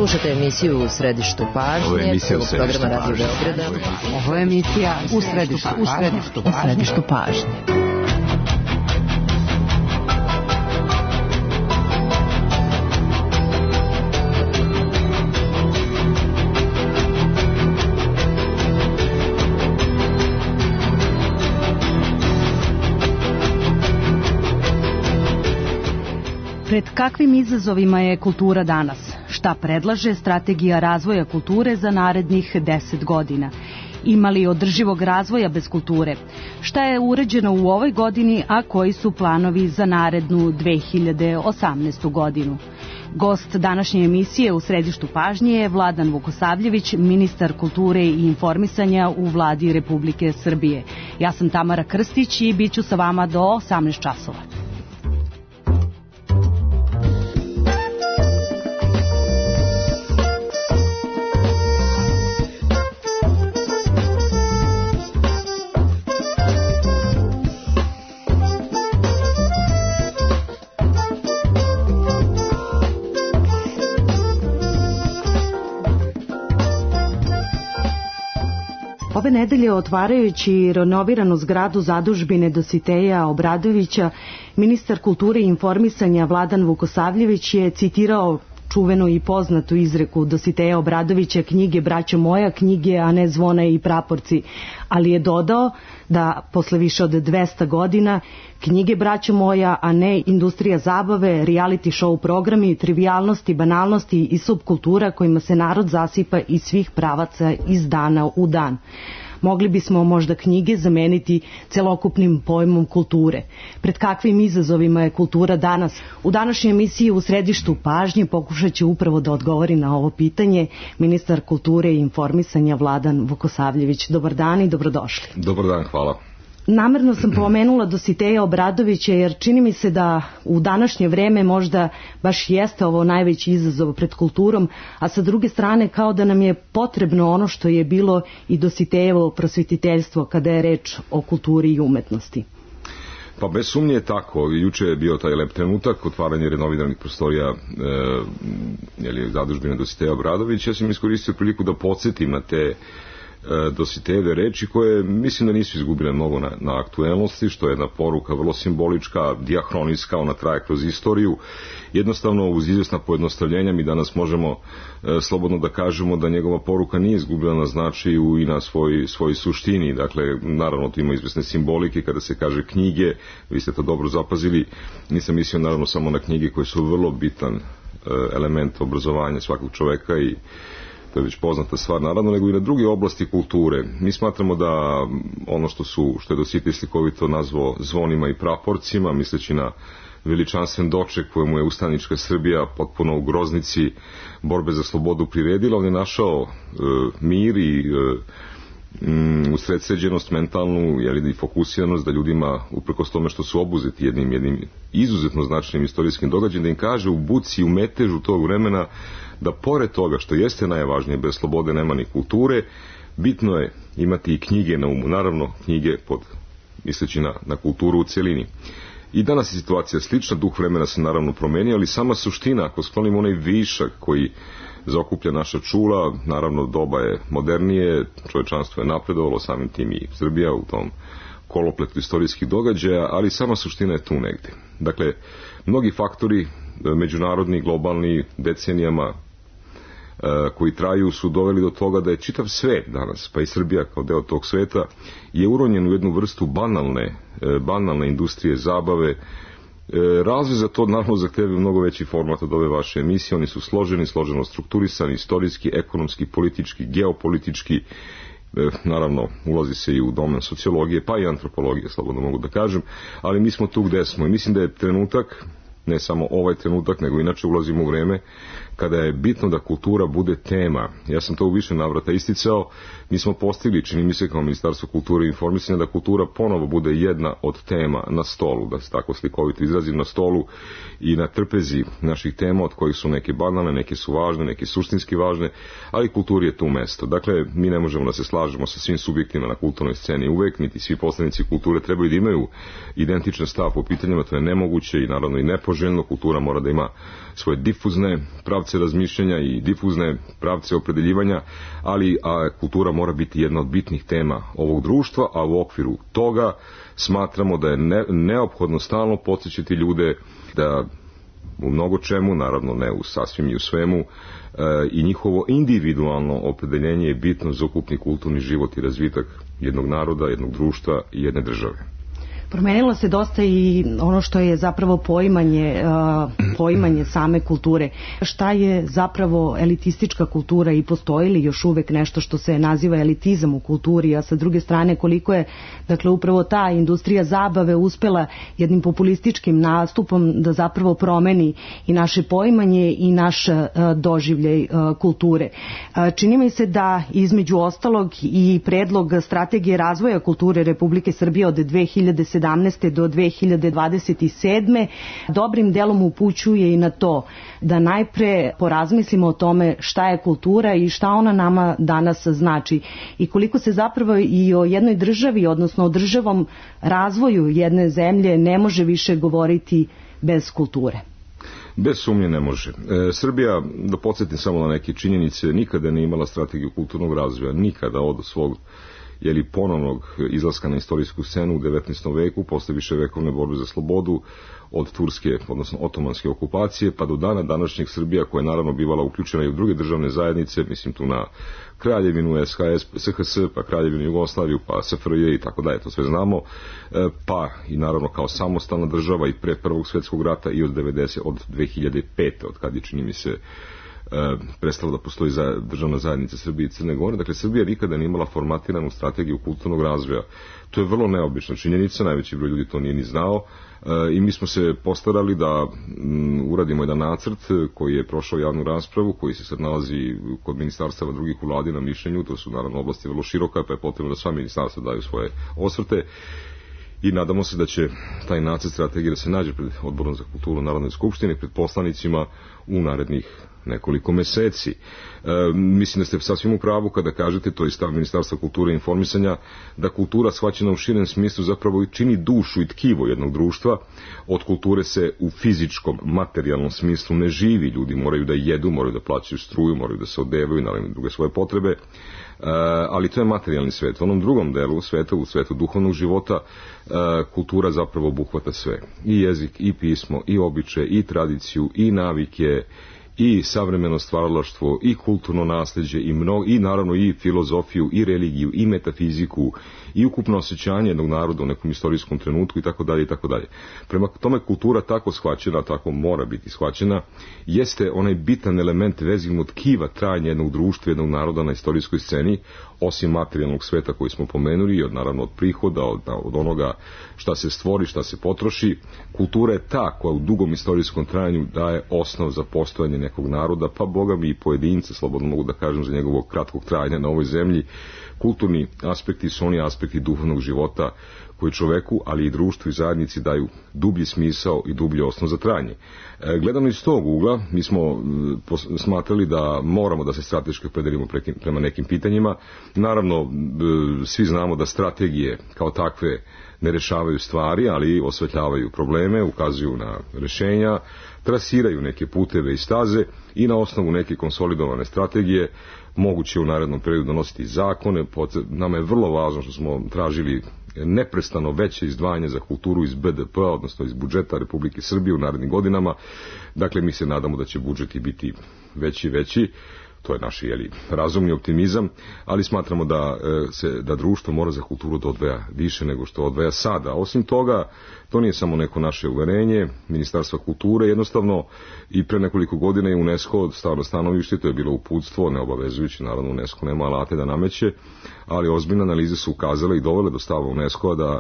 Slušate emisiju U središtu pažnje. Ovo je emisija U središtu pažnje. Ovo je emisija U središtu pažnje. Pred kakvim izazovima je kultura danas? Šta predlaže strategija razvoja kulture za narednih 10 godina? Ima li održivog razvoja bez kulture? Šta je urađeno u ovoj godini, a koji su planovi za narednu 2018. godinu? Gost današnje emisije U središtu pažnje je Vladan Vukosavljević, ministar kulture i informisanja u Vladi Republike Srbije. Ja sam Tamara Krstić i bit ću sa vama do 18 časova. Ove nedelje, otvarajući renoviranu zgradu zadužbine Dositeja Obradovića, ministar kulture i informisanja Vladan Vukosavljević je citirao čuvenu i poznatu izreku Dositeja Obradovića: knjige braćo moja, knjige, a ne zvona i praporci, ali je dodao da posle više od 200 godina knjige braćo moja, a ne industrija zabave, reality show programi, trivijalnosti, banalnosti i subkultura kojima se narod zasipa iz svih pravaca iz dana u dan. Mogli bismo možda knjige zameniti celokupnim pojmom kulture. Pred kakvim izazovima je kultura danas? U današnjoj emisiji U središtu pažnje pokušat će upravo da odgovori na ovo pitanje ministar kulture i informisanja Vladan Vukosavljević. Dobar dan i dobrodošli. Dobar dan, hvala. Namerno sam pomenula Dositeja Obradovića jer čini mi se da u današnje vreme možda baš jeste ovo najveći izazov pred kulturom, a sa druge strane kao da nam je potrebno ono što je bilo i Dositejevo prosvetiteljstvo kada je reč o kulturi i umetnosti. Pa bez sumnje je tako. Juče je bio taj lep trenutak, otvaranje renoviranih prostorija zadužbine Dositeja Obradovića. Ja sam iskoristio priliku da podsjetim na te Dositejeve reči koje mislim da nisu izgubile mnogo na aktuelnosti, što je jedna poruka vrlo simbolička, dijahronijska, ona traje kroz istoriju. Jednostavno, uz izvjesna pojednostavljenja mi danas možemo slobodno da kažemo da njegova poruka nije izgubila na značaju i na svoj suštini. Dakle, naravno, to ima izvjesne simbolike kada se kaže knjige, vi ste to dobro zapazili. Nisam mislio naravno samo na knjige koje su vrlo bitan element obrazovanja svakog čoveka i to je već poznata stvar, naravno, nego i na druge oblasti kulture. Mi smatramo da ono što je Dositej slikovito nazvao zvonima i praporcima, misleći na veličanstven doček kojemu je ustanička Srbija potpuno u groznici borbe za slobodu priredila, on je našao mir i usredsređenost mentalnu i fokusiranost da ljudima, uprkos tome što su obuzeti jednim izuzetno značajnim istorijskim događajem, da im kaže u buci, u metežu tog vremena da pored toga što jeste najvažnije, bez slobode nema ni kulture, bitno je imati i knjige na umu, naravno knjige misleći na kulturu u cjelini. I danas je situacija slična, duh vremena se naravno promenio, ali sama suština, ako sklonimo onaj višak koji zaokuplja naša čula, naravno doba je modernije, čovječanstvo je napredovalo, samim tim i Srbija u tom kolopletu istorijskih događaja, ali sama suština je tu negdje. Dakle, mnogi faktori, međunarodni, globalni, decenijama koji traju su doveli do toga da je čitav svet danas, pa i Srbija kao deo tog sveta, je uronjen u jednu vrstu banalne industrije zabave. Razvoj za to naravno zahtevaju mnogo veći format od ove vaše emisije. Oni su složeno strukturisani, istorijski, ekonomski, politički, geopolitički. Naravno, ulazi se i u domen sociologije, pa i antropologije, slobodno mogu da kažem, ali mi smo tu gde smo i mislim da je trenutak, ne samo ovaj trenutak, nego inače ulazimo u vreme kada je bitno da kultura bude tema. Ja sam to u više navrata isticao. Mi smo postigli, čini mi se kao Ministarstvo kulture i informisanja, da kultura ponovo bude jedna od tema na stolu, da se tako slikovito izrazim, na stolu i na trpezi naših tema, od kojih su neke banalne, neke su važne, neke suštinski važne, ali kulturi je tu mesto. Dakle, mi ne možemo da se slažemo sa svim subjektima na kulturnoj sceni uvek, niti svi poslanici kulture trebaju da imaju identičan stav po pitanjima, to je nemoguće i naravno i nepoželjno. samoželjno, kultura mora da ima svoje difuzne pravce razmišljanja i difuzne pravce opredeljivanja, ali kultura mora biti jedna od bitnih tema ovog društva, a u okviru toga smatramo da je neophodno stalno podsjećati ljude da u mnogo čemu, naravno ne u sasvim i u svemu, i njihovo individualno opredeljenje je bitno za ukupni kulturni život i razvitak jednog naroda, jednog društva i jedne države. Promenilo se dosta i ono što je zapravo poimanje same kulture. Šta je zapravo elitistička kultura i postoji li još uvek nešto što se naziva elitizam u kulturi, a sa druge strane koliko je upravo ta industrija zabave uspela jednim populističkim nastupom da zapravo promeni i naše poimanje i naš doživljaj kulture. Čini mi se da između ostalog i predlog strategije razvoja kulture Republike Srbije od 2017. do 2027. dobrim delom upućuje i na to da najpre porazmislimo o tome šta je kultura i šta ona nama danas znači i koliko se zapravo i o jednoj državi, odnosno o državom razvoju jedne zemlje ne može više govoriti bez kulture. Bez sumnje ne može. Srbija, da podsjetim samo na neke činjenice, nikada nije imala strategiju kulturnog razvoja, nikada od svog ponovnog izlaska na istorijsku scenu u 19. veku, posle viševekovne borbe za slobodu, od turske, odnosno otomanske okupacije, pa do dana današnjeg Srbija, koja je naravno bivala uključena i u druge državne zajednice, mislim tu na Kraljevinu, SHS, pa Kraljevinu Jugoslaviju, pa SFRJ i tako dalje, to sve znamo, pa i naravno kao samostalna država i pre Prvog svjetskog rata i od 2005. od kad je, čini mi se, prestala da postoji državna zajednica Srbije i Crne Gore. Dakle, Srbija nikada nije imala formatiranu strategiju kulturnog razvoja. To je vrlo neobična činjenica, najveći broj ljudi to nije ni znao i mi smo se postarali da uradimo jedan nacrt koji je prošao javnu raspravu, koji se sad nalazi kod ministarstava drugih u vladi na mišljenju. To su naravno oblasti vrlo široka, pa je potrebno da sva ministarstva daju svoje osvrte. I nadamo se da će taj nacrt strategije da se nađe pred Odborom za kulturu Narodne skupštine, pred poslanicima u narednih nekoliko meseci. Mislim da ste sasvim u pravu kada kažete, to je stav Ministarstva kulture i informisanja, da kultura shvaćena u širem smislu zapravo čini dušu i tkivo jednog društva. Od kulture se u fizičkom, materijalnom smislu ne živi. Ljudi moraju da jedu, moraju da plaćaju struju, moraju da se odevaju, naravno druge svoje potrebe, ali to je materijalni svet. U onom drugom delu sveta, u svetu duhovnog života, kultura zapravo obuhvata sve. I jezik, i pismo, i običaje, i tradiciju, i navike, i savremeno stvaralaštvo, i kulturno nasleđe, i naravno i filozofiju, i religiju, i metafiziku, i ukupno osjećanje jednog naroda u nekom istorijskom trenutku, i tako dalje, i tako dalje. Prema tome, kultura tako shvaćena, tako mora biti shvaćena, jeste onaj bitan element vezivnog tkiva trajanja jednog društva, jednog naroda na istorijskoj sceni, osim materijalnog sveta koji smo pomenuli, naravno od prihoda, od onoga šta se stvori, šta se potroši. Kultura je ta koja u dugom istorijskom trajanju daje osnov za postojanje nekog naroda, pa boga mi i pojedinca, slobodno mogu da kažem, za njegovog kratkog trajanja na ovoj zemlji. Kulturni aspekti su oni aspekti duhovnog života koji čoveku, ali i društvu i zajednici daju dublji smisao i dublji osnov za trajanje. Gledano iz tog ugla, mi smo smatrali da moramo da se strateški opredelimo prema nekim pitanjima. Naravno, svi znamo da strategije kao takve ne rešavaju stvari, ali osvetljavaju probleme, ukazuju na rešenja, trasiraju neke puteve i staze i na osnovu neke konsolidovane strategije moguće u narednom periodu donositi zakone. Nama je vrlo važno što smo tražili neprestano veće izdvajanje za kulturu iz BDP-a, odnosno iz budžeta Republike Srbije u narednim godinama. Dakle, mi se nadamo da će budžeti biti veći i veći. To je naš razumni optimizam, ali smatramo da društvo mora za kulturu da odvaja više nego što odvaja sada. Osim toga, to nije samo neko naše uverenje Ministarstva kulture, jednostavno i pre nekoliko godina je UNESCO stao na stanovište, to je bilo uputstvo, neobavezujući, naravno UNESCO nema alate da nameće, ali ozbiljne analize su ukazale i dovele do stava UNESCO-a da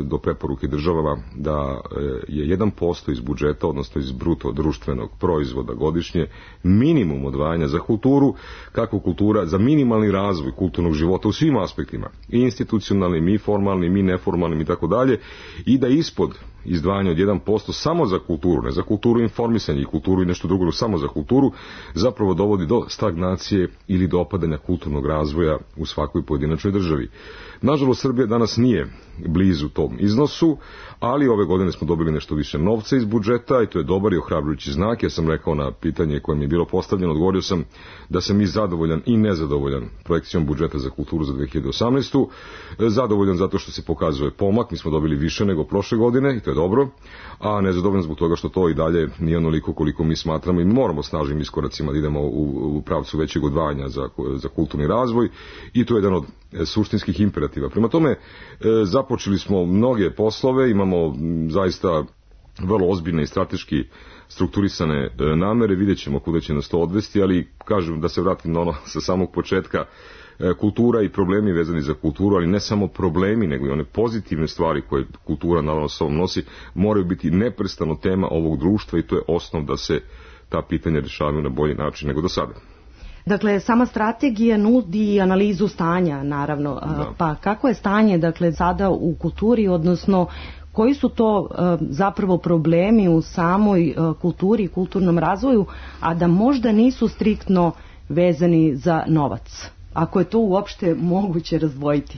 do preporuke državama da je 1% iz budžeta, odnosno iz bruto društvenog proizvoda godišnje, minimum odvajanja za kulturu, kako kultura, za minimalni razvoj kulturnog života u svim aspektima, i institucionalnim, i formalnim, i neformalnim i tako dalje, i da ispod izdvajanja od 1% samo za kulturu, ne za kulturu informisanja i kulturu i nešto drugo, samo za kulturu, zapravo dovodi do stagnacije ili do opadanja kulturnog razvoja u svakoj pojedinačnoj državi. Nažalost, Srbija danas nije blizu tom iznosu, ali ove godine smo dobili nešto više novca iz budžeta i to je dobar i ohrabrujući znak. Ja sam rekao na pitanje koje mi je bilo postavljeno, odgovorio sam da sam i zadovoljan i nezadovoljan projekcijom budžeta za kulturu za 2018. Zadovoljan zato što se pokazuje pomak, mi smo dobili više nego prošle godine i to je dobro, a nezadovoljan zbog toga što to i dalje nije onoliko koliko mi smatramo i moramo snažnim iskoracima da idemo u pravcu većeg odvajanja za kulturni razvoj i to je jedan od suštinskih imperativa. Prema tome, započeli smo mnoge poslove, imamo zaista vrlo ozbiljne i strateški strukturisane namere, vidjet ćemo kuda će nas to odvesti, ali kažem da se vratim na ono sa samog početka, kultura i problemi vezani za kulturu, ali ne samo problemi, nego i one pozitivne stvari koje kultura naravno sa sobom nosi, moraju biti neprestano tema ovog društva i to je osnov da se ta pitanja rješavaju na bolji način nego do sada. Dakle, sama strategija nudi analizu stanja, naravno. Da. Pa kako je stanje, dakle, sada u kulturi, odnosno koji su to zapravo problemi u samoj kulturi i kulturnom razvoju, a da možda nisu striktno vezani za novac? Ako je to uopšte moguće razdvojiti?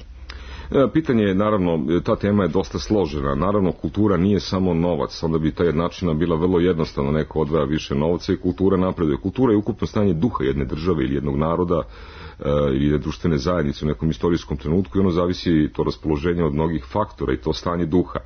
Pitanje je, naravno, ta tema je dosta složena. Naravno, kultura nije samo novac, onda bi ta jednačina bila vrlo jednostavna, neko odvaja više novca i kultura napreduje. Kultura je ukupno stanje duha jedne države ili jednog naroda ili jedne društvene zajednice u nekom istorijskom trenutku i ono zavisi to raspoloženje od mnogih faktora i to stanje duha.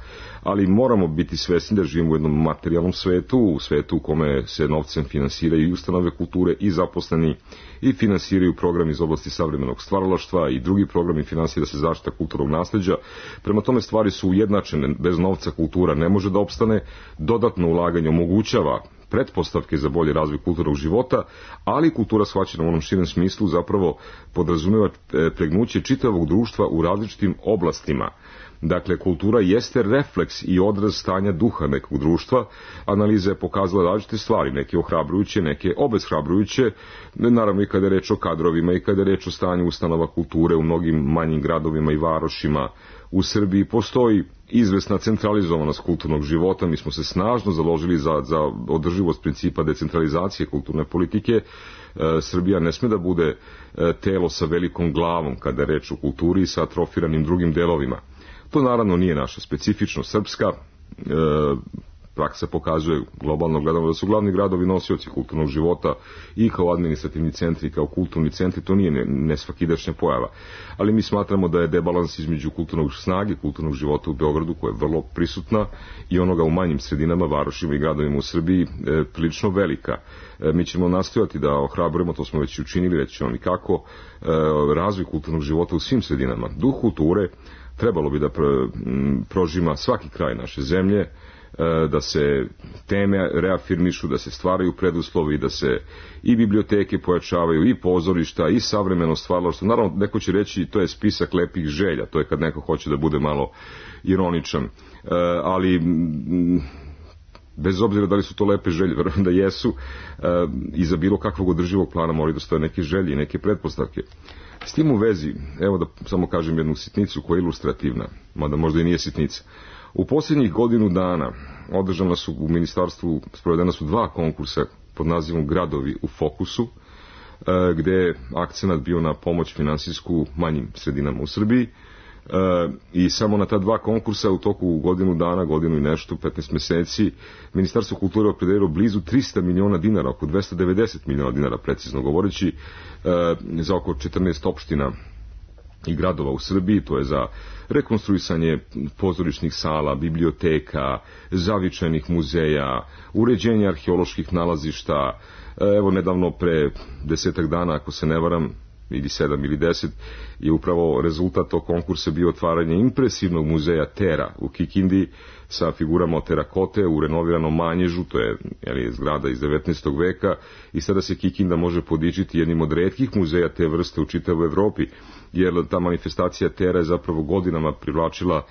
Ali moramo biti svesni da živimo u jednom materijalnom svetu, u svetu u kome se novcem finansiraju i ustanove kulture i zaposleni i finansiraju programi iz oblasti savremenog stvaralaštva i drugi programi finansira se zaštita kulturnog nasleđa. Prema tome stvari su ujednačene, bez novca kultura ne može da opstane, dodatno ulaganje omogućava pretpostavke za bolji razvoj kulturnog života, ali kultura shvaćena u onom širem smislu zapravo podrazumijeva pregnuće čitavog društva u različitim oblastima. Dakle, kultura jeste refleks i odraz stanja duha nekog društva. Analiza je pokazala različite stvari, neke ohrabrujuće, neke obeshrabrujuće, naravno i kada je reč o kadrovima i kada je reč o stanju ustanova kulture u mnogim manjim gradovima i varošima. U Srbiji postoji izvesna centralizovanost kulturnog života, mi smo se snažno založili za održivost principa decentralizacije kulturne politike. Srbija ne sme da bude telo sa velikom glavom kada je reč o kulturi i sa atrofiranim drugim delovima. To naravno nije naša specifičnost srpska, praksa pokazuje globalno gledano da su glavni gradovi nosioci kulturnog života i kao administrativni centri, kao kulturni centri, to nije nesvakidašnja pojava. Ali mi smatramo da je debalans između kulturnog snage, kulturnog života u Beogradu, koja je vrlo prisutna, i onoga u manjim sredinama, varošima i gradovima u Srbiji, prilično velika. Mi ćemo nastojati da ohrabrujemo, to smo već učinili, reći ćemo i kako, razvoj kulturnog života u svim sredinama. Duh kulture trebalo bi da prožima svaki kraj naše zemlje, da se teme reafirmišu, da se stvaraju preduslovi, da se i biblioteke pojačavaju, i pozorišta, i savremeno stvaralaštvo. Naravno, neko će reći to je spisak lepih želja, to je kad neko hoće da bude malo ironičan, ali bez obzira da li su to lepe želje, verujem da jesu, iza bilo kakvog održivog plana moraju da stoje neke želje i neke pretpostavke. S tim u vezi, evo da samo kažem jednu sitnicu koja je ilustrativna, mada možda i nije sitnica. U posljednjih godinu dana održana su u ministarstvu, sprovedena su 2 konkursa pod nazivom Gradovi u fokusu, gde je akcenat bio na pomoć finansijsku manjim sredinama u Srbiji, i samo na ta 2 konkursa u toku godinu dana, godinu i nešto, 15 meseci, Ministarstvo kulture opredelilo blizu 300 miliona dinara, oko 290 miliona dinara, precizno govoreći, za oko 14 opština i gradova u Srbiji. To je za rekonstruisanje pozorišnih sala, biblioteka, zavičajnih muzeja, uređenje arheoloških nalazišta. Evo, nedavno pre 10 dana, ako se ne varam, ili 7 ili 10, je upravo rezultat tog konkursa bio otvaranje impresivnog muzeja Tera u Kikindi sa figurama od terakote u renoviranom Manježu, to je zgrada iz 19. veka, i sada se Kikinda može podičiti jednim od retkih muzeja te vrste u čitavoj Evropi, jer ta manifestacija Tera je zapravo godinama privlačila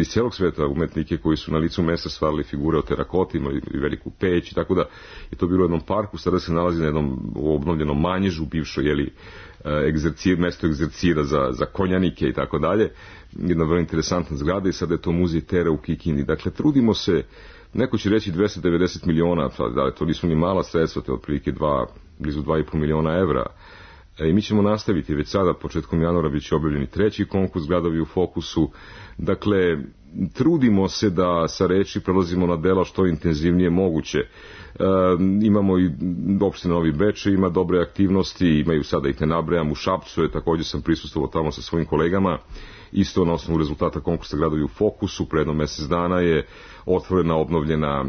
iz cijelog sveta umetnike koji su na licu mesta stvarali figure od terakote, imali veliku peć, i tako da je to bilo u jednom parku, sada se nalazi na jednom obnovljenom Manježu, bivšo mesto egzercira za konjanike i tako dalje, jedna vrlo interesantna zgrada, i sada je to muzej Tera u Kikindi. Dakle, trudimo se, neko će reći 290 miliona, da to nisu ni mala sredstva, to je otprilike blizu 2,5 miliona evra, I mi ćemo nastaviti, već sada početkom januara bit će objavljeni 3. konkurs Gradovi u fokusu. Dakle, trudimo se da sa reči prelazimo na dela što intenzivnije moguće. Imamo i opština Novi Bečej, ima dobre aktivnosti, imaju sada ih ne nabrajam, u Šapcu je, također sam prisustvovao tamo sa svojim kolegama, isto na osnovu rezultata konkursa Gradovi u fokusu, pre jedno mesec dana je otvorena, obnovljena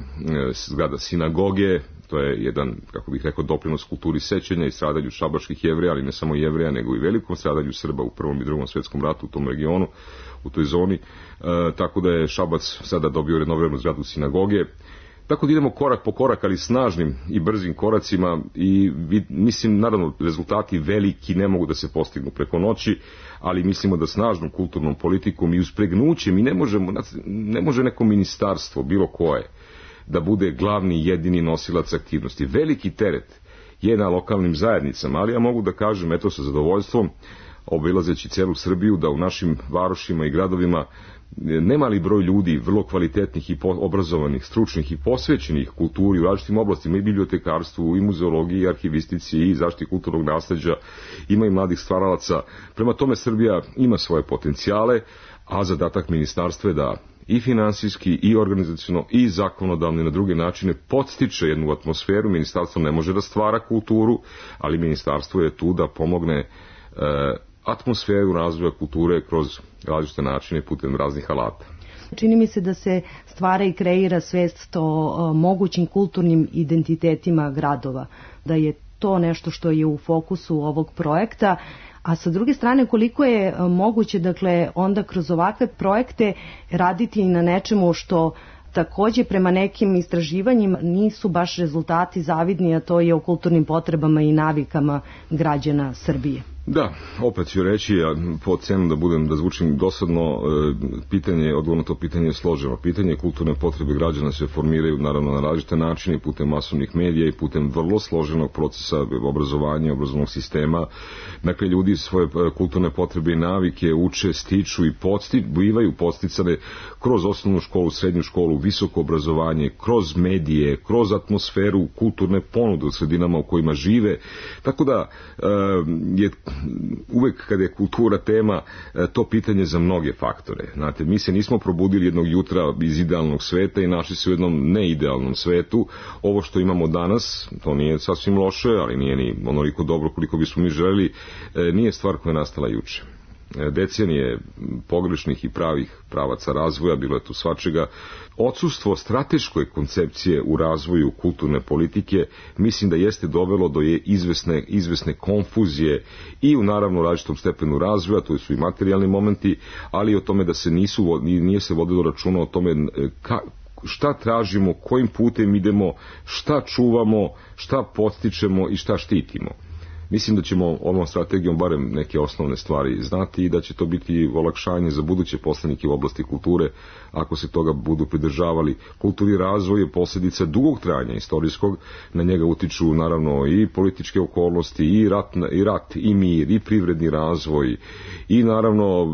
zgrada sinagoge, to je jedan, kako bih rekao, doprinos kulturi sećanja i stradanju šabačkih Jevreja, ali ne samo Jevreja, nego i velikom stradanju Srba u Prvom i Drugom svjetskom ratu u tom regionu, u toj zoni, tako da je Šabac sada dobio renoviranu zgradu sinagoge. Tako da idemo korak po korak, ali snažnim i brzim koracima i mislim, naravno, rezultati veliki ne mogu da se postignu preko noći, ali mislimo da snažnom kulturnom politikom i uspregnućem, i ne može neko ministarstvo, bilo koje, da bude glavni jedini nosilac aktivnosti. Veliki teret je na lokalnim zajednicama, ali ja mogu da kažem, eto, sa zadovoljstvom, obilazeći celu Srbiju, da u našim varošima i gradovima nemali broj ljudi, vrlo kvalitetnih i obrazovanih, stručnih i posvećenih kulturi u različitim oblastima, i bibliotekarstvu, i muzeologiji, i arhivistici, i zaštiti kulturnog nasleđa, ima i mladih stvaralaca. Prema tome, Srbija ima svoje potencijale, a zadatak ministarstva je da i finansijski, i organizaciono, i zakonodavno na druge načine podstiče jednu atmosferu. Ministarstvo ne može da stvara kulturu, ali ministarstvo je tu da pomogne atmosferu razvoja kulture kroz različite načine putem raznih alata. Čini mi se da se stvara i kreira svest o mogućim kulturnim identitetima gradova, da je to nešto što je u fokusu ovog projekta, a sa druge strane koliko je moguće, dakle, onda kroz ovakve projekte raditi i na nečemu što također prema nekim istraživanjima nisu baš rezultati zavidni, a to je o kulturnim potrebama i navikama građana Srbije. Da, opet ću reći, ja po cenu da zvučim dosadno, odgovor na to pitanje je složeno. Pitanje kulturne potrebe građana se formiraju naravno na različite načine, putem masovnih medija i putem vrlo složenog procesa obrazovanja, obrazovnog sistema. Dakle, ljudi svoje kulturne potrebe i navike uče, stiču i bivaju podsticane kroz osnovnu školu, srednju školu, visoko obrazovanje, kroz medije, kroz atmosferu kulturne ponude u sredinama u kojima žive. Tako da je uvek kada je kultura tema, to pitanje za mnoge faktore. Znate, mi se nismo probudili jednog jutra iz idealnog sveta i našli se u jednom neidealnom svetu. Ovo što imamo danas, to nije sasvim loše, ali nije ni onoliko dobro koliko bismo mi želeli, nije stvar koja je nastala juče. Decenije pogrešnih i pravih pravaca razvoja, bilo je tu svačega. Odsustvo strateške koncepcije u razvoju kulturne politike mislim da jeste dovelo do izvesne konfuzije i u naravno različitom stepenu razvoja, to su i materijalni momenti, ali i o tome da se nije se vodilo računa o tome šta tražimo, kojim putem idemo, šta čuvamo, šta podstičemo i šta štitimo. Mislim da ćemo ovom strategijom barem neke osnovne stvari znati i da će to biti olakšanje za buduće poslanike u oblasti kulture ako se toga budu pridržavali. Kulturni razvoj je posljedica dugog trajanja istorijskog, na njega utiču naravno i političke okolnosti, i rat, i mir, i privredni razvoj, i naravno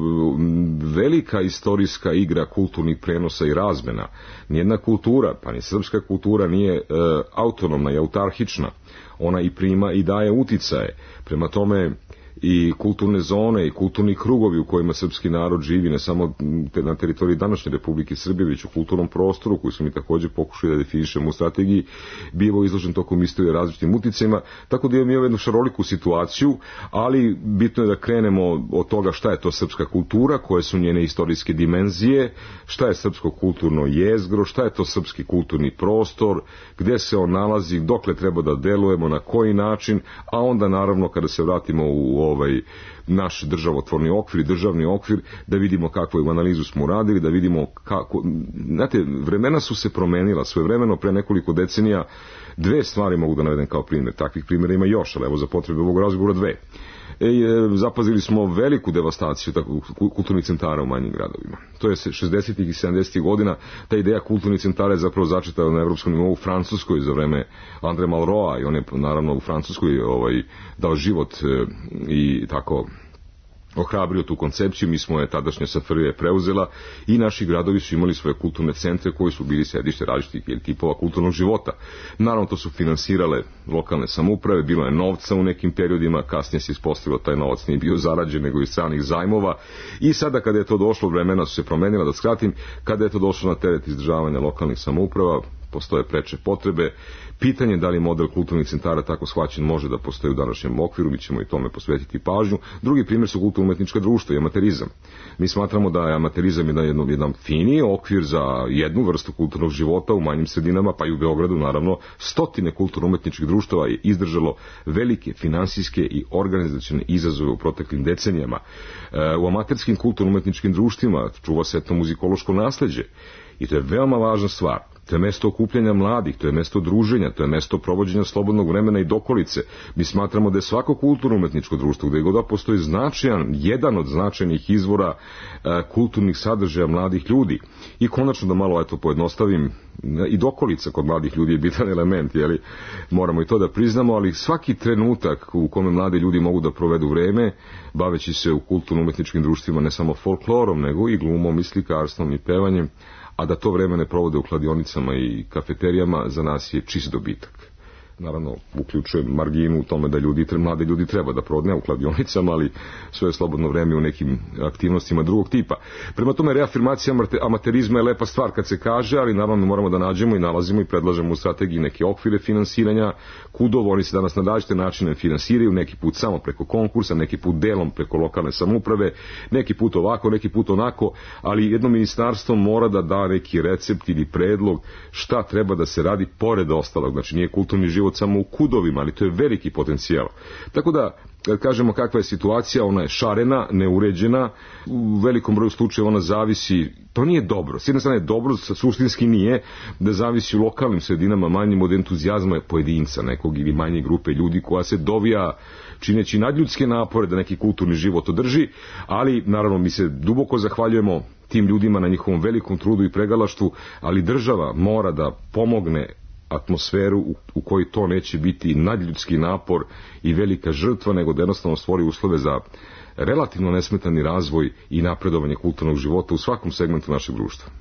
velika istorijska igra kulturnih prenosa i razmena. Nijedna kultura, pa ni srpska kultura, nije autonomna i autarhična. Ona i prima i daje uticaje. Prema tome i kulturne zone i kulturni krugovi u kojima srpski narod živi, ne samo na teritoriji današnje Republike Srbije, već u kulturnom prostoru koji su mi također pokušali da definišemo u strategiji, bivo izložen tokom istorije različitim uticajima, tako da imamo jednu šaroliku situaciju, ali bitno je da krenemo od toga šta je to srpska kultura, koje su njene istorijske dimenzije, šta je srpsko kulturno jezgro, šta je to srpski kulturni prostor, gde se on nalazi, dokle treba da delujemo, na koji način, a onda naravno kada se vratimo u naš državotvorni okvir i državni okvir, da vidimo kakvu analizu smo uradili, da vidimo kako. Znate, vremena su se promenila, svojevremeno pre nekoliko decenija. Dve stvari mogu da navedem kao primjer, takvih primjera ima još, ali evo za potrebe ovog razgovora dve. Zapazili smo veliku devastaciju kulturnih centara u manjim gradovima. To je 60. i 70. godina, ta ideja kulturnih centara je zapravo začeta na evropskom nivou u Francuskoj za vreme Andre Malroa, i on je naravno u Francuskoj dao život i tako ohrabrio tu koncepciju, mi smo je tadašnja SFRJ preuzela i naši gradovi su imali svoje kulturne centre koji su bili sedište različitih tipova kulturnog života. Naravno, to su finansirale lokalne samouprave, bilo je novca u nekim periodima, kasnije se ispostavilo taj novac nije bio zarađen nego iz stranih zajmova i sada kada je to došlo, vremena su se promenila, da skratim, kada je to došlo na teret izdržavanja lokalnih samouprava, postoje preče potrebe. Pitanje da li model kulturnih centara tako shvaćen može da postoji u današnjem okviru, mi ćemo i tome posvetiti pažnju. Drugi primjer su kulturno-umetnička društva i amaterizam. Mi smatramo da je amaterizam jedan finiji okvir za jednu vrstu kulturnog života u manjim sredinama, pa i u Beogradu, naravno, stotine kulturno-umetničkih društava je izdržalo velike finansijske i organizacione izazove u proteklim decenijama. U amaterskim kulturno-umetničkim društvima čuva se etnomuzikološko nasleđe i to je veoma važna stvar. To je mesto okupljanja mladih, to je mesto druženja, to je mesto provođenja slobodnog vremena i dokolice. Mi smatramo da je svako kulturno-umetničko društvo, gde god da postoji jedan od značajnih izvora kulturnih sadržaja mladih ljudi. I konačno da malo pojednostavim, i dokolica kod mladih ljudi je bitan element, moramo i to da priznamo, ali svaki trenutak u kome mladi ljudi mogu da provedu vreme, baveći se u kulturno-umetničkim društvima ne samo folklorom, nego i glumom, i slikarstvom, i pevanjem, a da to vreme ne provode u kladionicama i kafeterijama, za nas je čist dobitak. Naravno, uključuje marginu u tome da mladi ljudi treba da provode, ne u kladionicama, ali svoje slobodno vreme u nekim aktivnostima drugog tipa. Prema tome, reafirmacija amaterizma je lepa stvar kad se kaže, ali naravno moramo da nađemo i nalazimo i predlažemo u strategiji neke okvire finansiranja. KUD-ovi, oni se danas na različite načine finansiraju, neki put samo preko konkursa, neki put delom preko lokalne samouprave, neki put ovako, neki put onako, ali jedno ministarstvo mora da da neki recept ili predlog šta treba da se radi pored ostalog. Znači, nije kulturni život samo u KUD-ovima, ali to je veliki potencijal. Tako da, kad kažemo kakva je situacija, ona je šarena, neuređena, u velikom broju slučajeva ona zavisi, to nije dobro. S jedne strane je dobro, suštinski nije, da zavisi u lokalnim sredinama manjim od entuzijazma pojedinca nekog ili manje grupe ljudi koja se dovija čineći nadljudske napore da neki kulturni život održi, ali naravno mi se duboko zahvaljujemo tim ljudima na njihovom velikom trudu i pregalaštvu, ali država mora da pomogne atmosferu u kojoj to neće biti nadljudski napor i velika žrtva, nego da jednostavno stvori uslove za relativno nesmetani razvoj i napredovanje kulturnog života u svakom segmentu našeg društva.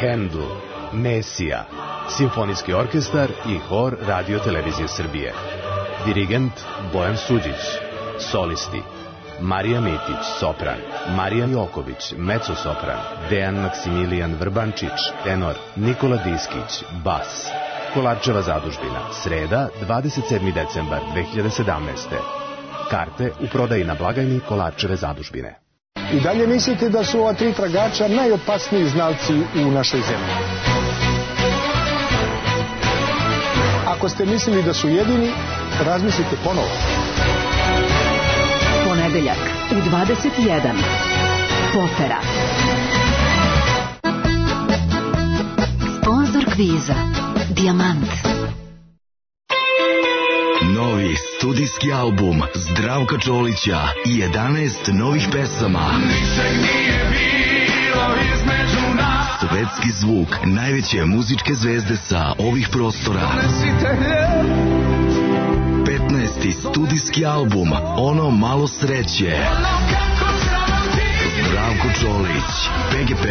Hendl, Mesija, simfonijski orkestar i hor Radio Televizije Srbije. Dirigent Bojan Suđić, solisti Marija Mitić, sopran, Marija Joković, mezzo-sopran, Dejan Maksimilijan Vrbančić, tenor, Nikola Diskić, bas. Kolarčeva zadužbina, sreda, 27. decembar 2017. Karte u prodaji na blagajni Kolarčeve zadužbine. I dalje mislite da su ova 3 tragača najopasniji znalci u našoj zemlji? Ako ste mislili da su jedini, razmislite ponovo. Ponedeljak u 21. Potera. Sponzor kviza Dijamant. Novi studijski album Zdravka Čolića i 11 novih pesama. Svetski zvuk najveće muzičke zvezde sa ovih prostora. 15. studijski album Ono malo sreće. Zdravko Čolić, PGP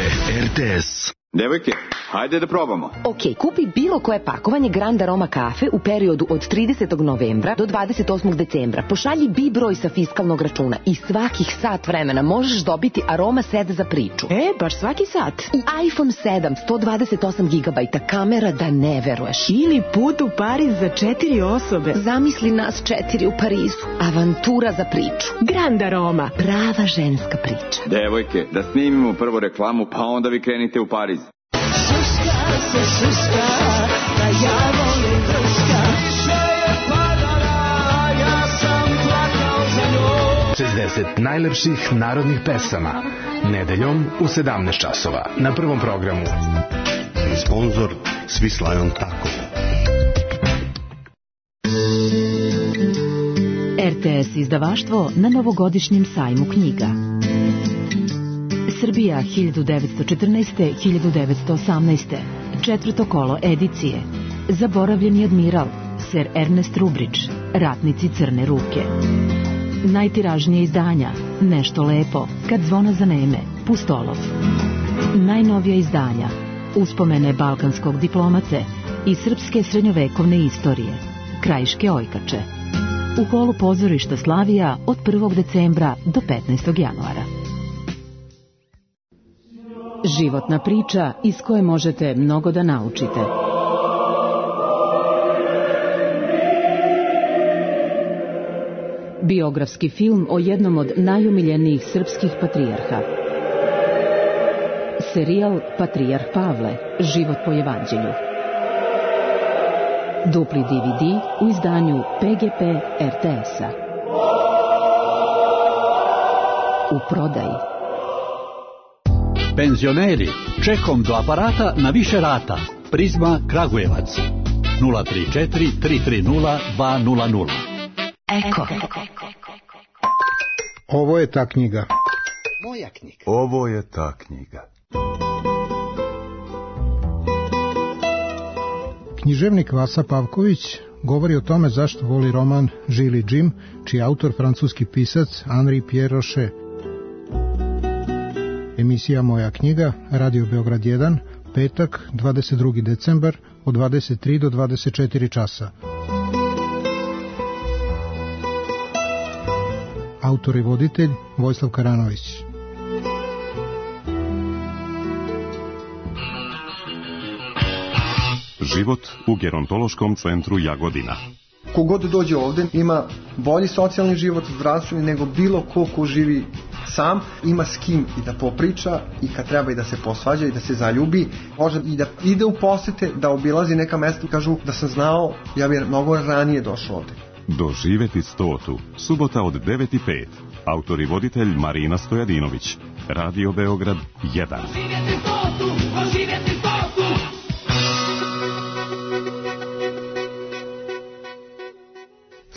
RTS. Devojke, hajde da probamo. Ok, kupi bilo koje pakovanje Grand Aroma kafe u periodu od 30. novembra do 28. decembra. Pošalji BI broj sa fiskalnog računa i svakih sat vremena možeš dobiti Aroma set za priču. Baš svaki sat. I iPhone 7, 128 GB, kamera da ne veruješ. Ili put u Pariz za 4 osobe. Zamisli nas 4 u Parizu. Avantura za priču. Grand Aroma. Prava ženska priča. Devojke, da snimimo prvo reklamu, pa onda vi krenite u Pariz. Šuška se šuška, da ja volim prška. Više je padala, ja sam plakao za njom. 60 najlepših narodnih pesama. Nedeljom u 17 časova. Na prvom programu. Sponzor Swiss Lion Taco. RTS izdavaštvo na novogodišnjem sajmu knjiga. Srbija 1914-1918. Četvrto kolo edicije. Zaboravljeni admiral, Sir Ernest Rubridge, Ratnici crne ruke. Najtiražnije izdanja, Nešto lepo, Kad zvona zaneme, Pustolov. Najnovija izdanja, Uspomene balkanskog diplomate i srpske srednjovekovne istorije, Krajiške ojkače. U holu pozorišta Slavija od 1. decembra do 15. januara. Životna priča iz koje možete mnogo da naučite. Biografski film o jednom od najumiljenijih srpskih patrijarha. Serijal Patrijarh Pavle, život po evanđelju. Dupli DVD u izdanju PGP RTS-a. U prodaji. Penzioneri, čekom do aparata na više rata. Prizma Kragujevac. 034 330 200. Eko. Ovo je ta knjiga. Moja knjiga. Ovo je ta knjiga. Književnik Vasa Pavković govori o tome zašto voli roman Žili Jim, čiji je autor francuski pisac Henri Pierre Rocher. Emisija Moja knjiga, Radio Beograd 1, petak, 22. decembar, od 23 do 24 časa. Autor i voditelj Vojislav Karanović. Život u gerontološkom centru Jagodina. Kogod dođe ovde ima bolji socijalni život, zdravstveni, nego bilo ko živi sam, ima s kim i da popriča i kad treba i da se posvađa i da se zaljubi, može i da ide u posete, da obilazi neka mesta. Kažu da sam znao, ja bih mnogo ranije došao ovde. Doživeti 100. Subota od 9:05. Autor i voditelj Marina Stojadinović. Radio Beograd 1.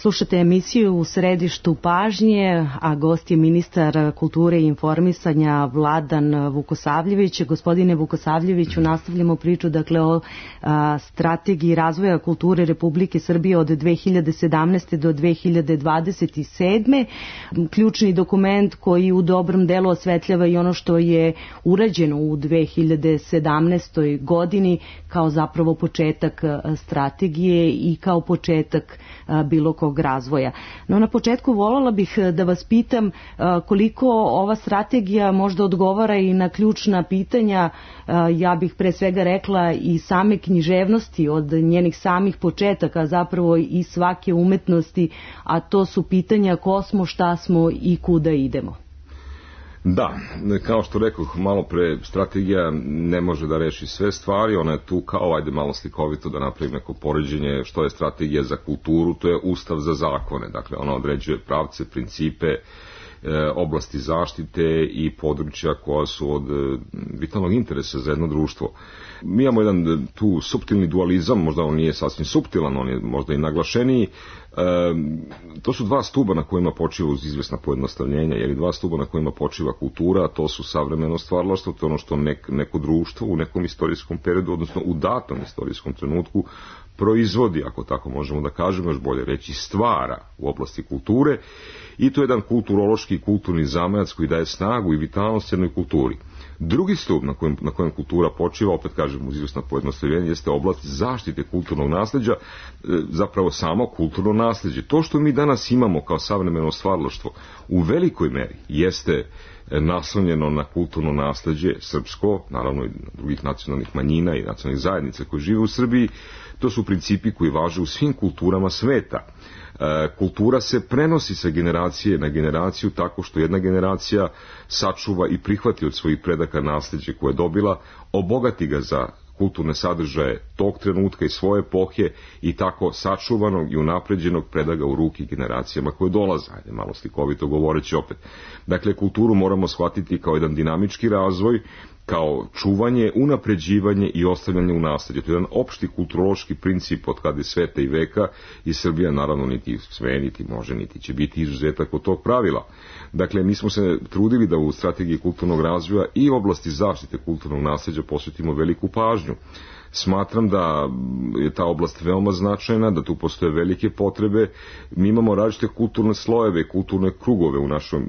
Slušate emisiju U središtu pažnje, a gost je ministar kulture i informisanja Vladan Vukosavljević. Gospodine Vukosavljeviću, nastavljamo priču o strategiji razvoja kulture Republike Srbije od 2017. do 2027. Ključni dokument koji u dobrom delu osvetljava i ono što je urađeno u 2017. godini kao zapravo početak strategije i kao početak bilo kog razvoja. No, na početku voljela bih da vas pitam koliko ova strategija možda odgovara i na ključna pitanja, ja bih pre svega rekla i same književnosti od njenih samih početaka, zapravo i svake umetnosti, a to su pitanja ko smo, šta smo i kuda idemo. Da, kao što rekoh malo pre, strategija ne može da reši sve stvari, ona je tu kao, ajde malo slikovito da napravim neko poređenje što je strategija za kulturu, to je ustav za zakone, dakle ona određuje pravce, principe, oblasti zaštite i područja koja su od vitalnog interesa za jedno društvo. Mi imamo jedan tu suptilni dualizam, možda on nije sasvim suptilan, on je možda i naglašeniji. To su dva stuba na kojima počiva uz izvesna pojednostavljenja, jer dva stuba na kojima počiva kultura, a to su savremeno stvaralaštvo, to je ono što neko društvo u nekom istorijskom periodu, odnosno u datom istorijskom trenutku proizvodi, ako tako možemo da kažemo, još bolje reći stvara u oblasti kulture, i to je jedan kulturološki i kulturni zamajac koji daje snagu i vitalnost jednoj kulturi. Drugi stup na kojem kultura počiva, opet kažem uz izvesno pojednostavljenje, jeste oblast zaštite kulturnog nasleđa, zapravo samo kulturno nasleđe. To što mi danas imamo kao savremeno stvaralaštvo u velikoj meri jeste naslonjeno na kulturno nasleđe srpsko, naravno i drugih nacionalnih manjina i nacionalnih zajednica koji žive u Srbiji. To su principi koji važe u svim kulturama sveta. Kultura se prenosi sa generacije na generaciju tako što jedna generacija sačuva i prihvati od svojih predaka nasleđe koje je dobila, obogati ga za kulturne sadržaje tog trenutka i svoje epohe i tako sačuvanog i unapređenog predaga u ruki generacijama koje dolaze. Ajde, malo slikovito govoreći opet. Dakle, kulturu moramo shvatiti kao jedan dinamički razvoj, kao čuvanje, unapređivanje i ostavljanje u nasleđe. To je jedan opšti kulturološki princip od kada je sveta i veka i Srbija naravno niti sve, niti može, niti će biti izuzetak od tog pravila. Dakle, mi smo se trudili da u strategiji kulturnog razvoja i oblasti zaštite kulturnog nasleđa posvetimo veliku pažnju. Smatram da je ta oblast veoma značajna, da tu postoje velike potrebe. Mi imamo različite kulturne slojeve, kulturne krugove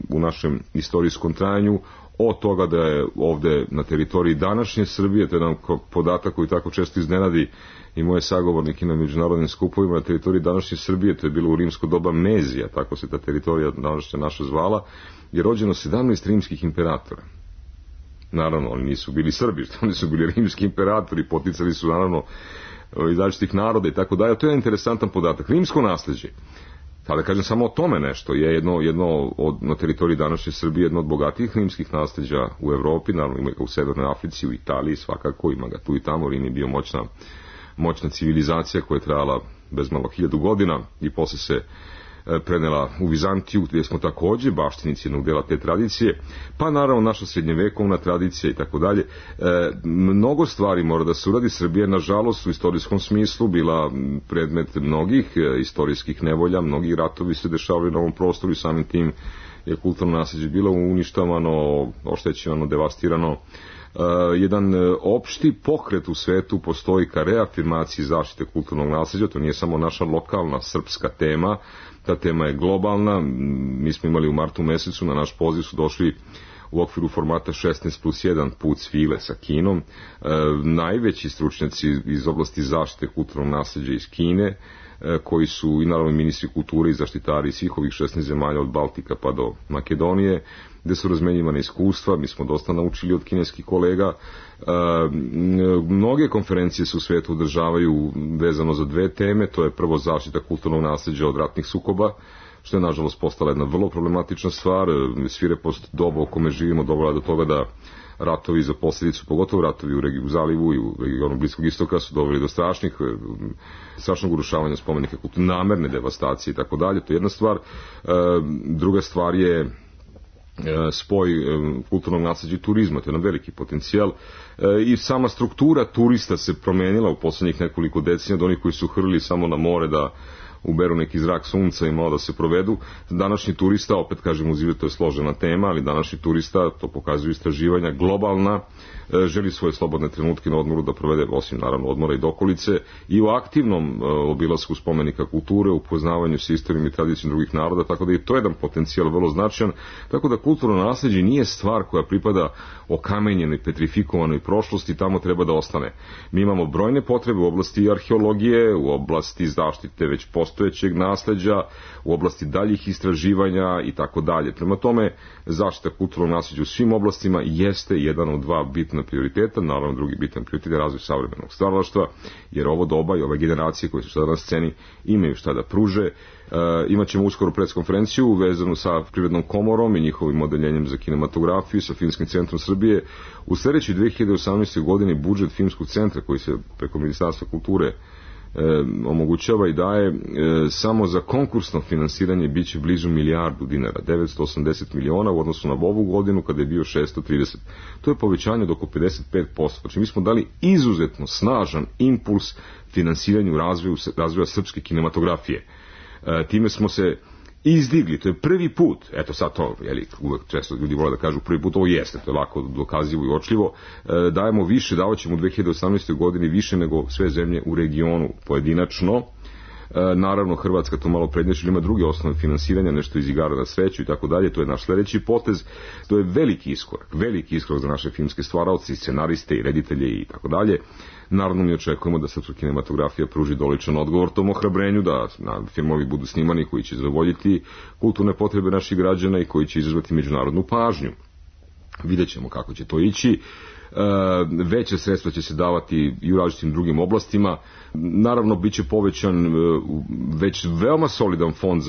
u našem istorijskom trajanju, od toga da je ovde na teritoriji današnje Srbije, to je jedan podatak koji tako često iznenadi i moje sagovornike na međunarodnim skupovima, na teritoriji današnje Srbije, to je bilo u rimsko doba Mezija, tako se ta teritorija današnja naša zvala, je rođeno 17 rimskih imperatora. Naravno, oni nisu bili Srbi, oni su bili rimski imperatori, poticali su naravno iz različitih naroda i tako dalje. To je interesantan podatak. Rimsko nasleđe, da kažem samo o tome nešto, je jedno na teritoriji današnje Srbije jedno od bogatijih rimskih nasleđa u Evropi, naravno ima ga u Severnoj Africi, u Italiji svakako, ima ga tu i tamo. Rim je bio moćna civilizacija koja je trajala bezmalo 1000 godina i posle se prenela u Vizantiju, gdje smo takođe baštinici jednog dela te tradicije, pa naravno naša srednjevekovna tradicija i tako dalje. Mnogo stvari mora da se uradi. Srbija, nažalost, u istorijskom smislu bila predmet mnogih istorijskih nevolja, mnogi ratovi se dešavali na ovom prostoru i samim tim je kulturno nasleđe bilo uništavano, oštećivano, devastirano. Jedan opšti pokret u svetu postoji ka reafirmaciji zaštite kulturnog nasleđa. To nije samo naša lokalna srpska tema, ta tema je globalna. Mi smo imali u martu mesecu, na naš poziv su došli u okviru formata 16+1 put svile sa Kinom, najveći stručnjaci iz oblasti zaštite kulturnog nasleđa iz Kine, koji su i naravno ministri kulture i zaštitari svih ovih 16 zemalja od Baltika pa do Makedonije, gde su razmenjivane iskustva. Mi smo dosta naučili od kineskih kolega. Mnoge konferencije se u svijetu održavaju vezano za dve teme. To je prvo zaštita kulturnog nasleđa od ratnih sukoba, što je nažalost postala jedna vrlo problematična stvar. Svirepost doba u kome živimo dovela do toga da ratovi za posljedicu, pogotovo ratovi u Zalivu i u regionu Bliskog istoka, su doveli do strašnog urušavanja spomenika kulture, namerne devastacije i tako dalje. To je jedna stvar. Druga stvar je spoj kulturnog nasleđa i turizma, to je jedan veliki potencijal i sama struktura turista se promenila u poslednjih nekoliko decenija, od onih koji su hrlili samo na more da uberu neki zrak sunca i malo da se provedu. Današnji turista, opet kažem, to je složena tema, ali današnji turista, to pokazuju istraživanja, globalna, želi svoje slobodne trenutke na odmoru da provede, osim naravno odmora i dokolice, i u aktivnom obilasku spomenika kulture, upoznavanju sa istorijom i tradicijom drugih naroda, tako da je to jedan potencijal vrlo značajan, tako da kulturno nasleđe nije stvar koja pripada okamenjenoj, petrifikovanoj prošlosti, tamo treba da ostane. Mi imamo brojne potrebe u oblasti arheologije, u oblasti zaštite već postojećeg nasleđa, u oblasti daljih istraživanja i tako dalje. Prema tome, zaštita kulturnog nasleđa u svim oblastima jeste jedan od dva bitna prioriteta, naravno drugi bitan prioritet je razvoj savremenog stvaralaštva, jer ovo doba i ove generacije koje su sada na sceni imaju šta da pruže. Imaćemo uskoro preskonferenciju vezanu sa Privrednom komorom i njihovim odeljenjem za kinematografiju, sa Filmskim centrom Srbije. U sljedećoj 2018. godini budžet Filmskog centra, koji se preko Ministarstva kulture omogućava i daje, samo za konkursno finansiranje biće blizu milijardu dinara, 980 miliona u odnosu na ovu godinu kada je bio 630. To je povećanje od oko 55%. Znači mi smo dali izuzetno snažan impuls finansiranju razvoja srpske kinematografije. Time smo se izdigli, to je prvi put, eto sad to, uvek često ljudi vole da kažu prvi put, ovo jeste, to je lako dokazivo i očljivo, dajemo više, davaćemo u 2018. godini više nego sve zemlje u regionu pojedinačno. Naravno, Hrvatska to malo prednjači, ima druge osnove finansiranja, nešto iz igara na sreću i tako dalje, to je naš sljedeći potez, to je veliki iskorak za naše filmske stvaraoce, scenariste i reditelje i tako dalje. Naravno, mi očekujemo da srpska kinematografija pruži doličan odgovor tom ohrabrenju, da filmovi budu snimani koji će zadovoljiti kulturne potrebe naših građana i koji će izazvati međunarodnu pažnju. Vidjet ćemo kako će to ići. Veće sredstva će se davati i u različitim drugim oblastima. Naravno, bit će povećan već veoma solidan fond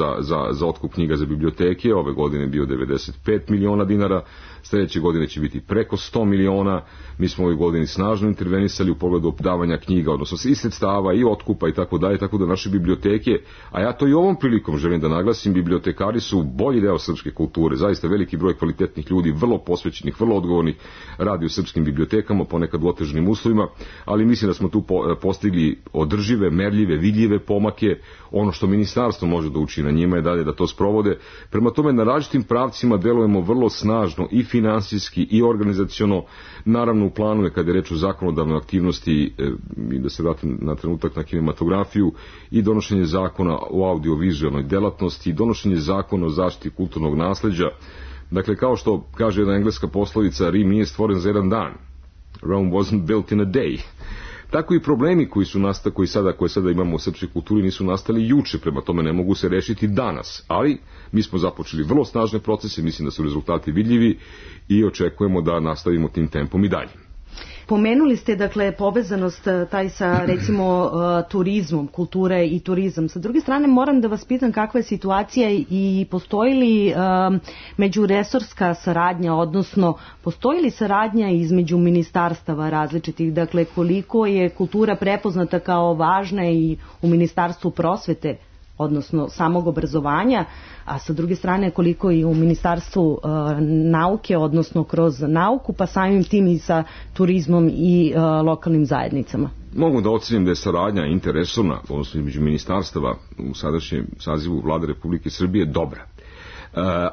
za otkup knjiga za biblioteke. Ove godine je bio 95 miliona dinara, sljedeće godine će biti preko 100 miliona. Mi smo ove godini snažno intervenisali u pogledu davanja knjiga, odnosno i sredstava i otkupa i tako dalje, tako da naše biblioteke, a ja to i ovom prilikom želim da naglasim, bibliotekari su bolji deo srpske kulture, zaista veliki broj kvalitetnih ljudi, vrlo posvećenih, vrlo odgovornih, radi u srpskim bibliotekama, ponekad u otežanim uslovima, ali mislim da smo tu postigli održive, merljive, vidljive pomake. Ono što ministarstvo može da učini na njima je dalje da to sprovode. Prema tome, na različitim pravcima delujemo vrlo snažno i finansijski i organizaciono. Naravno, u planu je, kada je reč o zakonodavnoj aktivnosti, i da se vratim na trenutak na kinematografiju, i donošenje zakona o audiovizualnoj delatnosti, i donošenje zakona o zaštiti kulturnog nasleđa. Dakle, kao što kaže jedna engleska poslovica, Rim nije stvoren za jedan dan. Rome wasn't built in a day. Tako i problemi koje sada imamo u srpskoj kulturi nisu nastali juče, prema tome ne mogu se rešiti danas. Ali mi smo započeli vrlo snažne procese, mislim da su rezultati vidljivi i očekujemo da nastavimo tim tempom i dalje. Pomenuli ste, dakle, povezanost taj sa, recimo, turizmom, kulture i turizam. Sa druge strane, moram da vas pitam kakva je situacija i postoji li međuresorska saradnja, odnosno postoji li saradnja između ministarstava različitih, dakle, koliko je kultura prepoznata kao važna i u Ministarstvu prosvete, odnosno samog obrazovanja, a sa druge strane koliko i u Ministarstvu nauke, odnosno kroz nauku, pa samim tim i sa turizmom i lokalnim zajednicama. Mogu da ocenim da je saradnja interresorna, odnosno između ministarstava u sadašnjem sazivu Vlade Republike Srbije dobra.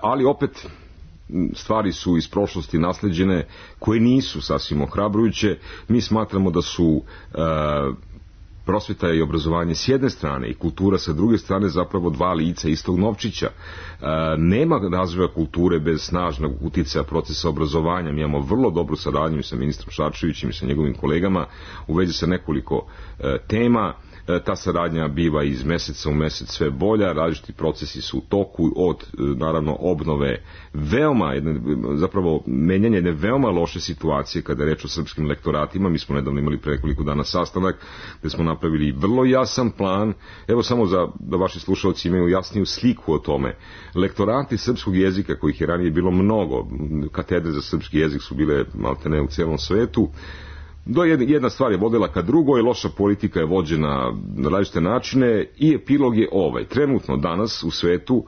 Ali opet stvari su iz prošlosti nasleđene koje nisu sasvim ohrabrujuće. Mi smatramo da su prosveta i obrazovanje s jedne strane i kultura sa druge strane zapravo dva lica istog novčića. Nema razvoja kulture bez snažnog uticaja procesa obrazovanja. Mi imamo vrlo dobru saradnju sa ministrom Šarčevićem i sa njegovim kolegama u vezi sa nekoliko tema. Ta saradnja biva iz meseca u mesec sve bolja, različiti procesi su u toku, od naravno obnove zapravo menjanje jedne veoma loše situacije kada je reč o srpskim lektoratima. Mi smo nedavno imali pre nekoliko dana sastanak gde smo napravili vrlo jasan plan, evo samo da vaši slušalci imaju jasniju sliku o tome. Lektorati srpskog jezika, kojih je ranije bilo mnogo, katedre za srpski jezik su bile maltene u celom svetu, jedna stvar je vodila ka drugoj, loša politika je vođena na različite načine i epilog je ovaj. Trenutno danas u svetu,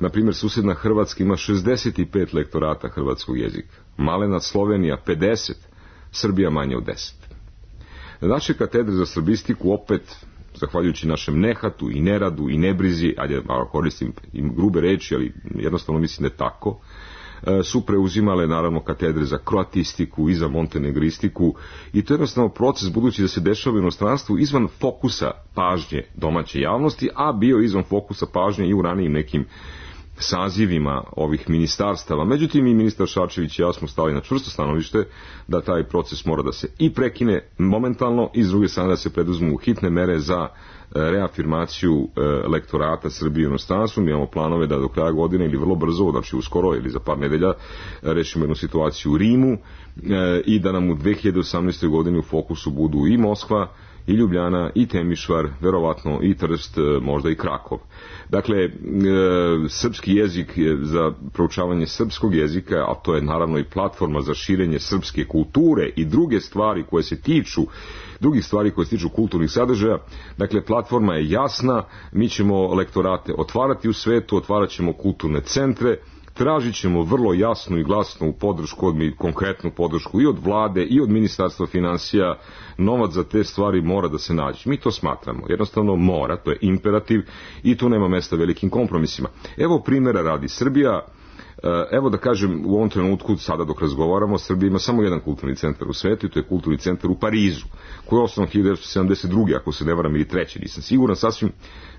na primjer, susedna Hrvatska ima 65 lektorata hrvatskog jezika. Malena Slovenija 50, Srbija manje od 10. Naše katedre za srbistiku opet zahvaljujući našem nehatu i neradu i nebrizi, ajde malo koristim i grube reči, ali jednostavno mislim da je tako, su preuzimale naravno katedre za kroatistiku i za montenegristiku i to je jednostavno proces budući da se dešava u inostranstvu izvan fokusa pažnje domaće javnosti, a bio izvan fokusa pažnje i u ranijim nekim sazivima ovih ministarstava. Međutim, i ministar Šarčević i ja smo stali na čvrsto stanovište da taj proces mora da se i prekine momentalno i s druge strane da se preduzmu hitne mere za reafirmaciju lektorata Srbije u inostranstvu. Mi imamo planove da do kraja godine ili vrlo brzo, znači uskoro ili za par nedelja, rešimo jednu situaciju u Rimu i da nam u 2018. godini u fokusu budu i Moskva, i Ljubljana, i Temišvar, verovatno i Trst, možda i Krakov. Dakle, srpski jezik za proučavanje srpskog jezika, a to je naravno i platforma za širenje srpske kulture i druge stvari koje se tiču drugih stvari koje se tiču kulturnih sadržaja. Dakle, platforma je jasna, mi ćemo lektorate otvarati u svetu, otvarat ćemo kulturne centre, tražit ćemo vrlo jasnu i glasnu podršku, konkretnu podršku i od vlade i od ministarstva finansija. Novac za te stvari mora da se nađe. Mi to smatramo. Jednostavno mora, to je imperativ i tu nema mesta velikim kompromisima. Evo primjera radi Srbija. Evo da kažem, u ovom trenutku, sada dok razgovaramo, Srbija ima samo jedan kulturni centar u svetu i to je kulturni centar u Parizu, koji je osnovan 1972. ako se ne varam, ili treći, nisam siguran, sasvim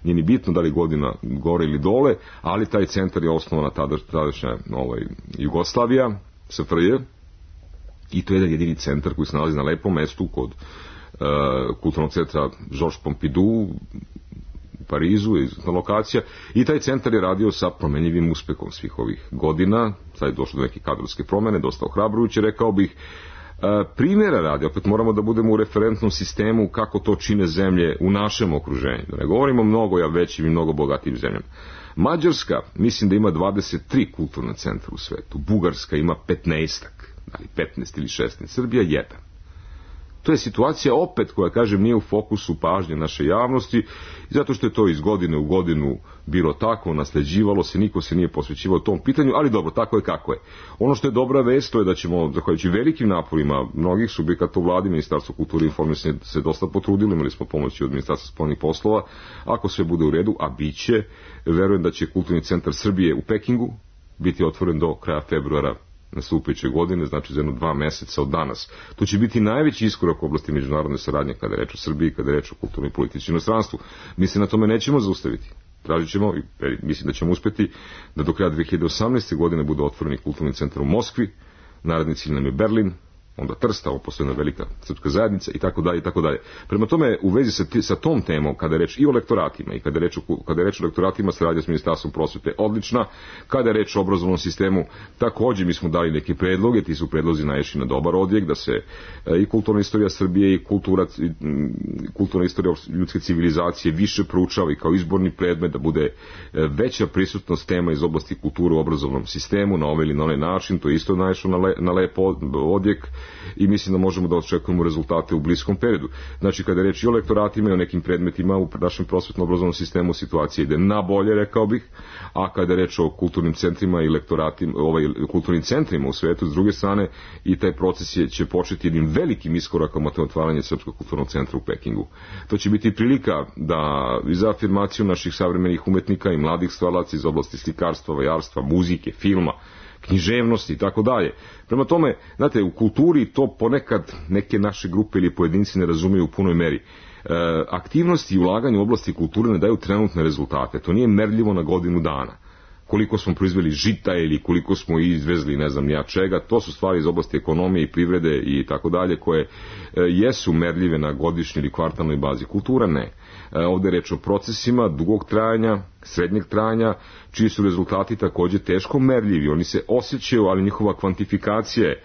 nije ni bitno da li godina gore ili dole, ali taj centar je osnovana tadašnja Jugoslavija, SFRJ, i to je jedan jedini centar koji se nalazi na lepom mestu kod kulturnog centra Georges Pompidou u Parizu, izvrsna lokacija, i taj centar je radio sa promenljivim uspehom svih ovih godina. Sad je došlo do neke kadrovske promene, dosta ohrabrujuće, rekao bih. Primjera radi, opet moramo da budemo u referentnom sistemu kako to čine zemlje u našem okruženju. Da ne govorimo mnogo većim i mnogo bogatijim zemljama. Mađarska, mislim da ima 23 kulturna centra u svetu. Bugarska ima 15-ak, da li 15 ili 16. Srbija 1. To je situacija opet koja, kažem, nije u fokusu pažnje naše javnosti, zato što je to iz godine u godinu bilo tako, nasleđivalo se, niko se nije posvećivao tom pitanju, ali dobro, tako je kako je. Ono što je dobra vest, to je da ćemo, zahvaljujući velikim naporima mnogih subjekata u vladi, Ministarstvo kulture i informisanja se dosta potrudilo, imali smo pomoći od Ministarstva spoljnih poslova, ako sve bude u redu, a bit će, verujem da će Kulturni centar Srbije u Pekingu biti otvoren do kraja februara nastupajuće godine, znači za 1-2 meseca od danas. To će biti najveći iskorak u oblasti međunarodne saradnje kada je reč o Srbiji, kada je reč o kulturnoj politici u inostranstvu. Mi se na tome nećemo zaustaviti. Tražit ćemo, i mislim da ćemo uspjeti, da do kraja 2018. godine bude otvoreni kulturni centar u Moskvi, naredni cilj nam je Berlin, onda Trst, ovo postoji jedna velika srpska zajednica i tako dalje i tako dalje. Prema tome, u vezi sa tom temom, kada je reč i o lektoratima i kada je reč o lektoratima, saradnja s Ministarstvom prosvete odlična. Kada je reč o obrazovnom sistemu, također mi smo dali neke predloge, ti su predlozi naišli na dobar odjek, da se i kulturna istorija Srbije i kulturna istorija ljudske civilizacije više proučava i kao izborni predmet, da bude veća prisutnost tema iz oblasti kulture u obrazovnom sistemu na ovaj ili na onaj način. To je isto naišlo na lep odjek i mislim da možemo da očekujemo rezultate u bliskom periodu. Znači, kada je reč i o lektoratima i o nekim predmetima u našem prosvetno-obrazovnom sistemu, situacija ide na bolje, rekao bih, a kada je reč o kulturnim centrima i lektoratima, kulturnim centrima u svetu, s druge strane, i taj proces će početi jednim velikim iskorakom od otvaranja Srpskog kulturnog centra u Pekingu. To će biti prilika da i za afirmaciju naših savremenih umetnika i mladih stvaralaca iz oblasti slikarstva, vajarstva, muzike, filma, književnosti i tako dalje. Prema tome, znate, u kulturi to ponekad neke naše grupe ili pojedinci ne razumiju u punoj meri. Aktivnosti i ulaganje u oblasti kulture ne daju trenutne rezultate. To nije merljivo na godinu dana. Koliko smo proizveli žita ili koliko smo izvezli ne znam ja čega, to su stvari iz oblasti ekonomije i privrede i tako dalje koje jesu merljive na godišnjoj ili kvartalnoj bazi. Kultura ne. Ovdje je reč o procesima dugog trajanja, srednjeg trajanja, čiji su rezultati također teško merljivi. Oni se osjećaju, ali njihova kvantifikacija je.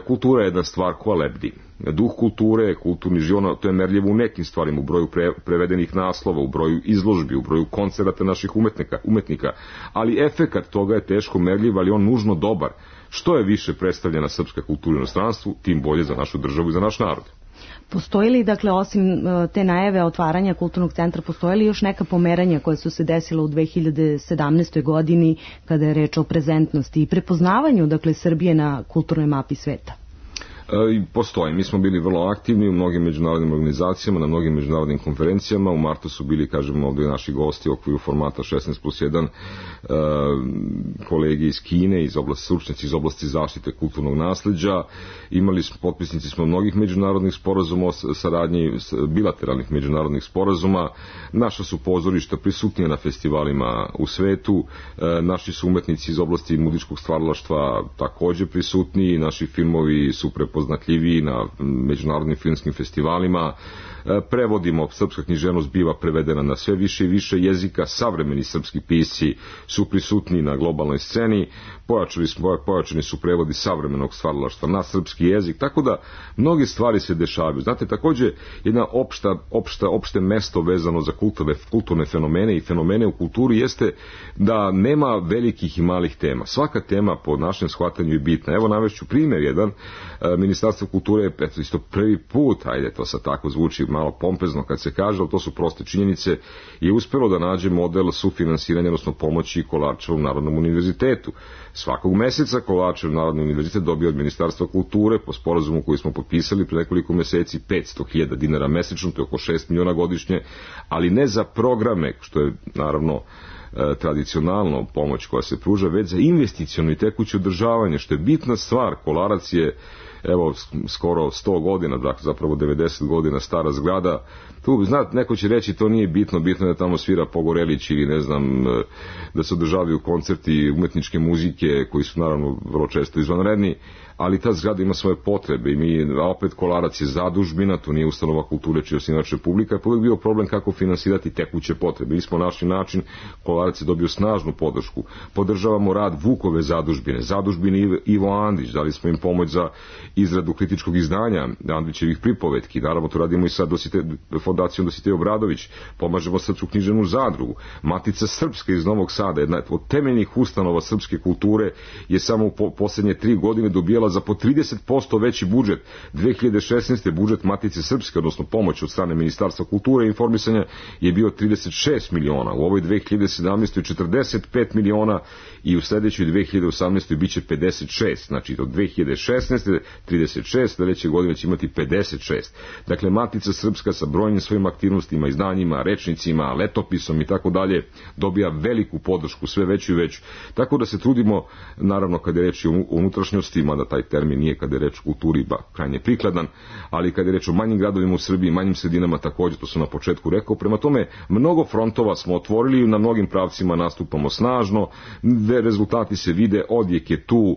Kultura je jedna stvar koja lebdi. Duh kulture, kulturni život, to je merljivo u nekim stvarima, u broju prevedenih naslova, u broju izložbi, u broju koncerata naših umetnika. Ali efekat toga je teško merljiv, ali on nužno dobar. Što je više predstavljena srpska kultura u inostranstvu, tim bolje za našu državu i za naš narod. Postoji li, dakle, osim te najave otvaranja kulturnog centra, postoje li još neka pomeranja koja su se desila u 2017. godini kada je reč o prezentnosti i prepoznavanju, dakle, Srbije na kulturnoj mapi sveta? Postoji. Mi smo bili vrlo aktivni u mnogim međunarodnim organizacijama, na mnogim međunarodnim konferencijama. U martu su bili, kažemo, ovdje naši gosti u okviru formata 16+1, kolege iz Kine, stručnjaci iz oblasti zaštite kulturnog nasleđa. Potpisnici smo mnogih međunarodnih sporazuma o saradnji, bilateralnih međunarodnih sporazuma. Naša su pozorišta prisutnija na festivalima u svetu. Naši su umetnici iz oblasti muzičkog stvaralaštva također prisutni. Naši filmovi su prepoznatljiviji na međunarodnim filmskim festivalima. Prevodimo, srpska književnost biva prevedena na sve više i više jezika, savremeni srpski pisci su prisutni na globalnoj sceni, pojačani su prevodi savremenog stvaralaštva na srpski jezik, tako da mnoge stvari se dešavaju. Znate, također jedna opšte mesto vezano za kulturne fenomene i fenomene u kulturi jeste da nema velikih i malih tema. Svaka tema po našem shvatanju je bitna. Evo navešću primjer jedan. Ministarstvo kulture je isto prvi put, ajde to sad tako zvuči malo pompezno kad se kaže, ali to su proste činjenice, je uspjelo da nađe model sufinansiranja, odnosno pomoći Kolarčevom Narodnom univerzitetu. Svakog meseca Kolarčev Narodni univerzitet dobio od Ministarstva kulture po sporazumu koji smo potpisali pre nekoliko meseci 500.000 dinara mesečno, to je oko 6 miliona godišnje, ali ne za programe, što je naravno tradicionalno pomoć koja se pruža, već za investiciono i tekuće održavanje, što je bitna stvar. Kolarac je evo skoro 100 godina, dakle zapravo 90 godina stara zgrada. Tu, znate, neko će reći to nije bitno, bitno je da tamo svira Pogorelić ili ne znam, da se održavaju koncerti umetničke muzike koji su naravno vrlo često izvanredni, ali ta zgrada ima svoje potrebe i mi, opet Kolarac je zadužbina, to nije ustanova kulture čiji je osnivač Republika, je uvijek bio problem kako finansirati tekuće potrebe. Mi smo našli način, Kolarac je dobio snažnu podršku. Podržavamo rad Vukove zadužbine Ivo Andrić, dali smo im pomoć za izradu kritičkog izdanja Andrićevih pripovetki, naravno to radimo i sa fondacijom Dositej Obradović, pomažemo Srpsku književnu zadrugu. Matica Srpska iz Novog Sada, jedna od temeljnih ustanova srpske kulture, je samo u posljednje 3 godine dobijala za po 30% veći budžet. 2016. budžet Matice Srpske, odnosno pomoć od strane Ministarstva kulture i informisanja, je bio 36 miliona. U ovoj 2017. 45 miliona i u sljedećoj 2018. bit će 56. Znači od 2016. 36, sljedeće godine će imati 56. Dakle, Matica Srpska sa brojnim svojim aktivnostima, izdanjima, rečnicima, letopisom i tako dalje dobija veliku podršku, sve veću i veću. Tako da se trudimo, naravno kada je reč o unutrašnjosti, mada taj termin nije kada je reč o kulturi krajnje prikladan, ali kada je reč o manjim gradovima u Srbiji, manjim sredinama također, to sam na početku rekao. Prema tome, mnogo frontova smo otvorili i na mnogim pravcima nastupamo snažno, rezultati se vide, odjek je tu,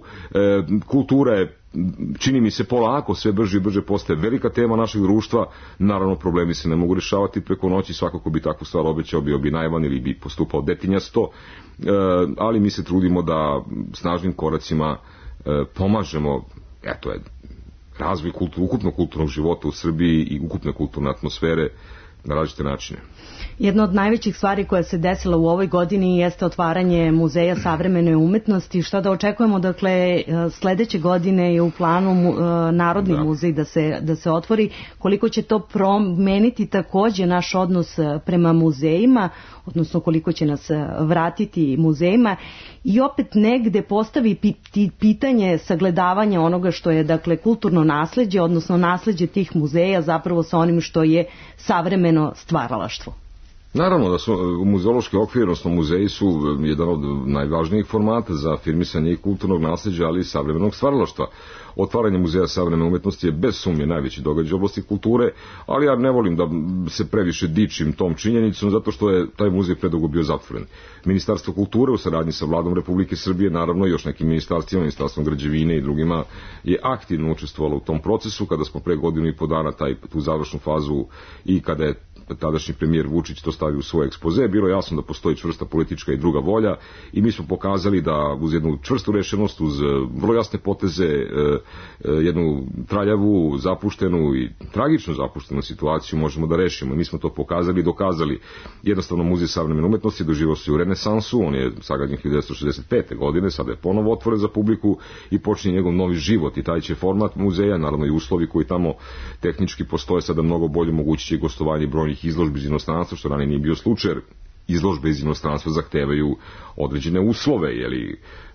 kultura je, čini mi se, polako sve brže i brže postaje velika tema našeg društva. Naravno, problemi se ne mogu rješavati preko noći, svako ko bi takvu stvar obećao bio bi naivan ili bi postupao detinjasto, ali mi se trudimo da snažnim koracima pomažemo, eto je, razvoj ukupnog kulturnog života u Srbiji i ukupne kulturne atmosfere na različite načine. Jedna od najvećih stvari koja se desila u ovoj godini jeste otvaranje Muzeja savremene umetnosti. Šta da očekujemo, dakle, sledeće godine je u planu Narodni muzej da se otvori. Koliko će to promeniti također naš odnos prema muzejima, odnosno koliko će nas vratiti muzejima i opet negde postavi pitanje sagledavanja onoga što je, dakle, kulturno nasleđe, odnosno nasleđe tih muzeja zapravo sa onim što je savremeno stvaralaštvo. Naravno da su muzeološki okvir, odnosno muzeji su jedan od najvažnijih formata za afirmisanje i kulturnog nasleđa, ali i savremenog stvaralaštva. Otvaranje Muzeja savremene umetnosti je bez sumnje najveći događaj u oblasti kulture, ali ja ne volim da se previše dičim tom činjenicom, zato što je taj muzej predugo bio zatvoren. Ministarstvo kulture u saradnji sa Vladom Republike Srbije, naravno i još nekim ministarstvima, Ministarstvom građevine i drugima, je aktivno učestvovalo u tom procesu. Kada smo pre godinu i po dana tu završnu fazu i kada je tadašnji premijer Vučić to stavio u svoj ekspoze, bilo je jasno da postoji čvrsta politička i druga volja i mi smo pokazali da uz jednu čvrstu rešenost, uz vrlo jasne poteze, jednu traljavu, zapuštenu i tragično zapuštenu situaciju možemo da rešimo. Mi smo to pokazali i dokazali. Jednostavno, Muzej savremene umetnosti doživao se u renesansu, on je sagrađen 1965. godine, sada je ponovo otvoren za publiku i počinje njegov novi život i taj će format muzeja, naravno i uslovi koji tamo tehnički postoje sada mnogo bolje, mogući će gostovanje brojnih izložbi iz inostranstva, što ranije nije bio slučaj. Izložbe iz inostranstva zahtevaju određene uslove,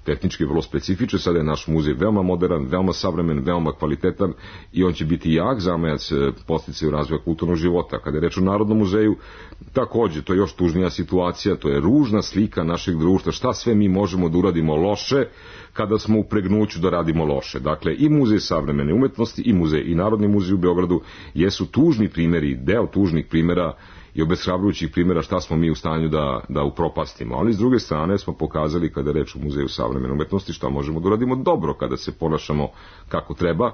tehnički vrlo specifičan, sada je naš muzej veoma modern, veoma savremen, veoma kvalitetan i on će biti jak zamajac podsticaju razvoja kulturnog života. Kada je reč o Narodnom muzeju, takođe, to je još tužnija situacija, to je ružna slika našeg društva, šta sve mi možemo da uradimo loše kada smo u pregnuću da radimo loše. Dakle, i Muzej savremene umetnosti, i muzej, i Narodni muzej u Beogradu jesu tužni primjeri, deo tužnih primjera i obeshrabrujućih primjera šta smo mi u stanju da upropastimo. Ali s druge strane smo pokazali kada je reč o Muzeju savremene umetnosti šta možemo da uradimo dobro kada se ponašamo kako treba.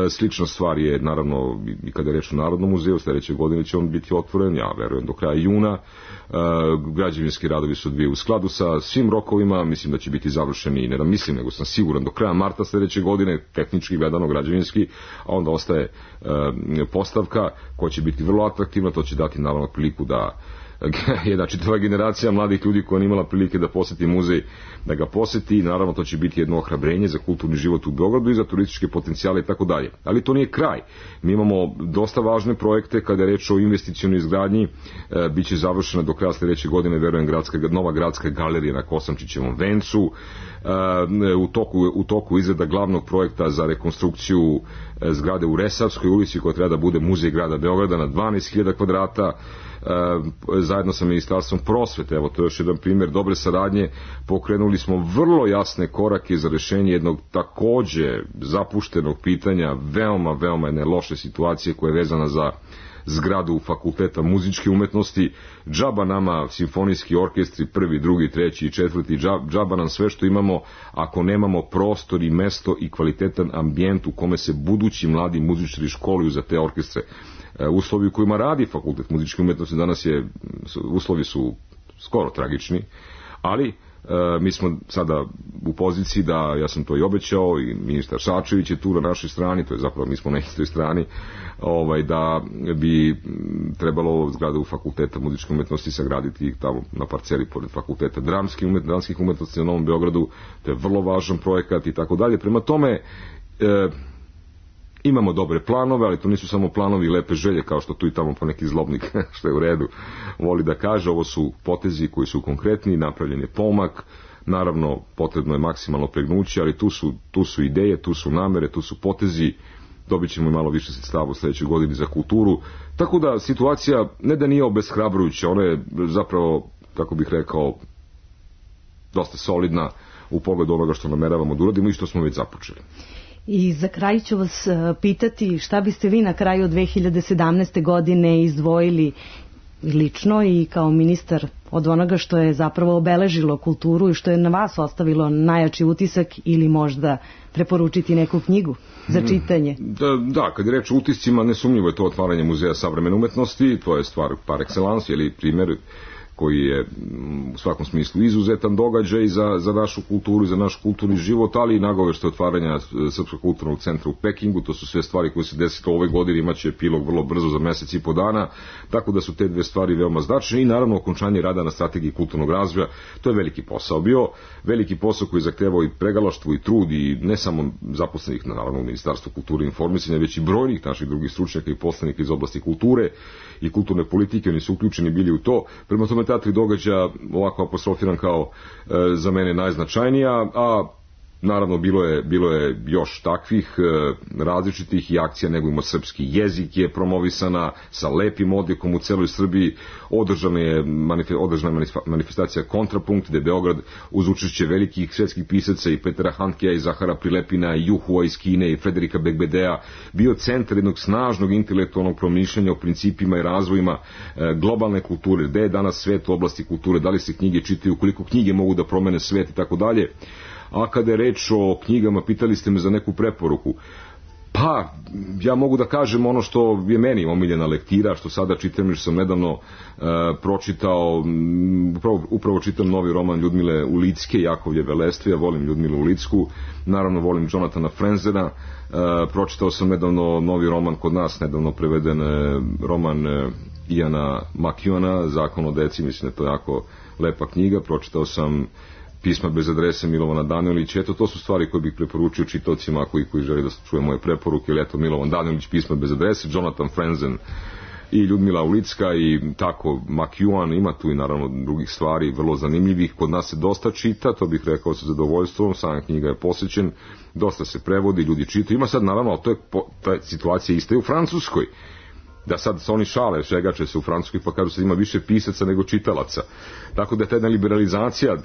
Slična stvar je naravno i kada je reč o Narodnom muzeju, sledeće godine će on biti otvoren, ja verujem do kraja juna. Građevinski radovi su odvijaju u skladu sa svim rokovima, mislim da će biti završeni, ne da mislim, nego sam siguran do kraja marta sledeće godine, tehnički gledano građevinski, a onda ostaje postavka koja će biti vrlo atraktivna, to će dati naravno priliku da jedna čitava generacija mladih ljudi koja nije imala prilike da poseti muzej, da ga poseti i naravno to će biti jedno ohrabrenje za kulturni život u Beogradu i za turističke potencijale i tako dalje. Ali to nije kraj. Mi imamo dosta važne projekte kada je reč o investicionoj izgradnji, biće završena do kraja sledeće godine, verujem, nova gradska galerija na Kosančićevom vencu, u toku izrada glavnog projekta za rekonstrukciju zgrade u Resavskoj ulici koja treba da bude muzej grada Beograda na 12.000 kvadrata, zajedno sa Ministarstvom prosvete, evo to je još jedan primjer dobre saradnje, pokrenuli smo vrlo jasne korake za rešenje jednog takođe zapuštenog pitanja, veoma jedne loše situacije koja je vezana za zgradu Fakulteta muzičke umetnosti. Džaba nama simfonijski orkestri, prvi, drugi, treći i četvrti, džaba nam sve što imamo ako nemamo prostor i mesto i kvalitetan ambijent u kome se budući mladi muzičari školuju za te orkestre. Uslovi u kojima radi Fakultet muzičke umetnosti danas uslovi su skoro tragični, ali mi smo sada u poziciji da, ja sam to i obećao i ministar Šačević je tu na našoj strani, to je zapravo mi smo na istoj strani, da bi trebalo zgradu Fakulteta muzičke umetnosti sagraditi tamo na parceli pored Fakulteta dramskih umetnosti na Novom Beogradu, to je vrlo važan projekat i tako dalje. Prema tome, imamo dobre planove, ali to nisu samo planovi i lepe želje, kao što tu i tamo po neki zlobnik, što je u redu, voli da kaže. Ovo su potezi koji su konkretni, napravljen je pomak, naravno potrebno je maksimalno pregnuće, ali tu su ideje, tu su namere, tu su potezi, dobit ćemo i malo više sredstava u sledećoj godini za kulturu, tako da situacija ne da nije obeshrabrujuća, ona je zapravo, kako bih rekao, dosta solidna u pogledu onoga što nameravamo da uradimo i što smo već započeli. I za kraj ću vas pitati šta biste vi na kraju 2017. godine izdvojili lično i kao ministar od onoga što je zapravo obeležilo kulturu i što je na vas ostavilo najjači utisak, ili možda preporučiti neku knjigu za čitanje? Da, kad je reč o utiscima, nesumnjivo je to otvaranje Muzeja savremene umetnosti, to je stvar par excellence, ili primjer koji je u svakom smislu izuzetan događaj za našu kulturu i za naš kulturni život, ali i nagovešte otvaranja Srpskog kulturnog centra u Pekingu. To su sve stvari koje se desilo ove godine, imaće epilog vrlo brzo za mesec i po dana, tako da su te dve stvari veoma značajne i naravno okončanje rada na strategiji kulturnog razvoja. To je veliki posao bio, veliki posao koji zahtevao i pregalaštvo i trud i ne samo zaposlenih naravno u Ministarstvu kulture i informisanja, već i brojnih naših drugih stručnjaka i poslanika iz oblasti kulture i kulturne politike, oni su uključeni bili u to. Prema tome ta tri događaja ovako apostrofiran kao za mene najznačajnija, a naravno bilo je još takvih različitih i akcija. Negujmo srpski jezik je promovisana sa lepim odjekom u celoj Srbiji, održana je manifestacija Kontrapunkt, gde Beograd uz učešće velikih svetskih pisaca i Petera Handkea i Zahara Prilepina i Juhua iz Kine i Frederika Bekbedea bio centar jednog snažnog intelektualnog promišljanja o principima i razvojima globalne kulture, gde je danas svet u oblasti kulture, da li se knjige čitaju, koliko knjige mogu da promene svet i tako dalje. A kada je reč o knjigama, pitali ste me za neku preporuku. Pa, ja mogu da kažem ono što je meni omiljena lektira, što sada čitam, jer sam nedavno pročitao, upravo čitam novi roman Ljudmile Ulicke, Jakovlje Velestve, ja volim Ljudmilu Ulicku, naravno volim Jonathana Frenzena, pročitao sam nedavno novi roman kod nas, nedavno preveden roman Iana McEwana, Zakon o deci, mislim da je to jako lepa knjiga, pročitao sam Pisma bez adrese Milovana Danilića. Eto, to su stvari koje bih preporučio čitaocima koji žele da čuje moje preporuke. Ili eto, Milovan Danilić, Pisma bez adrese, Jonathan Frenzen, i Ljudmila Ulicka i tako Makjuan, ima tu i naravno drugih stvari vrlo zanimljivih. Kod nas se dosta čita, to bih rekao sa zadovoljstvom, sam knjiga je posjećen, dosta se prevodi, ljudi čitaju. Ima sad naravno, ta situacija ista i u Francuskoj, da sad se oni šale, šegače se u Francuskoj pa kažu se ima više pisaca nego čitalaca. Tako da je ta jedna liberalizacija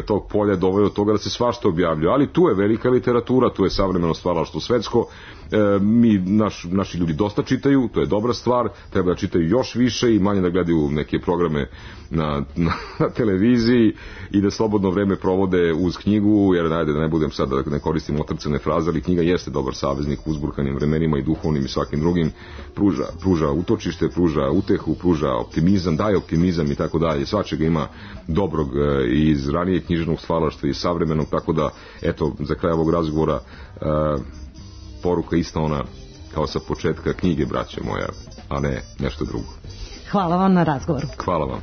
tog polja dovela do toga da se svašta objavljuje. Ali tu je velika literatura, tu je savremeno stvaralaštvo svetsko. Naši ljudi dosta čitaju, to je dobra stvar, treba da čitaju još više i manje da gledaju neke programe na televiziji i da slobodno vreme provode uz knjigu, jer da ne budem sad da ne koristim otrcane fraze, ali knjiga jeste dobar saveznik u uzburkanim vremenima i duhovnim i svakim drugim, pruža utočište, pruža utehu, pruža optimizam, daje optimizam i tako dalje. Svačega ima dobrog iz ranijeg književnog stvaralaštva i savremenog, tako da eto, za kraj ovog razgovora poruka ista ona kao sa početka knjige, braće moja, a ne nešto drugo. Hvala vam na razgovoru. Hvala vam.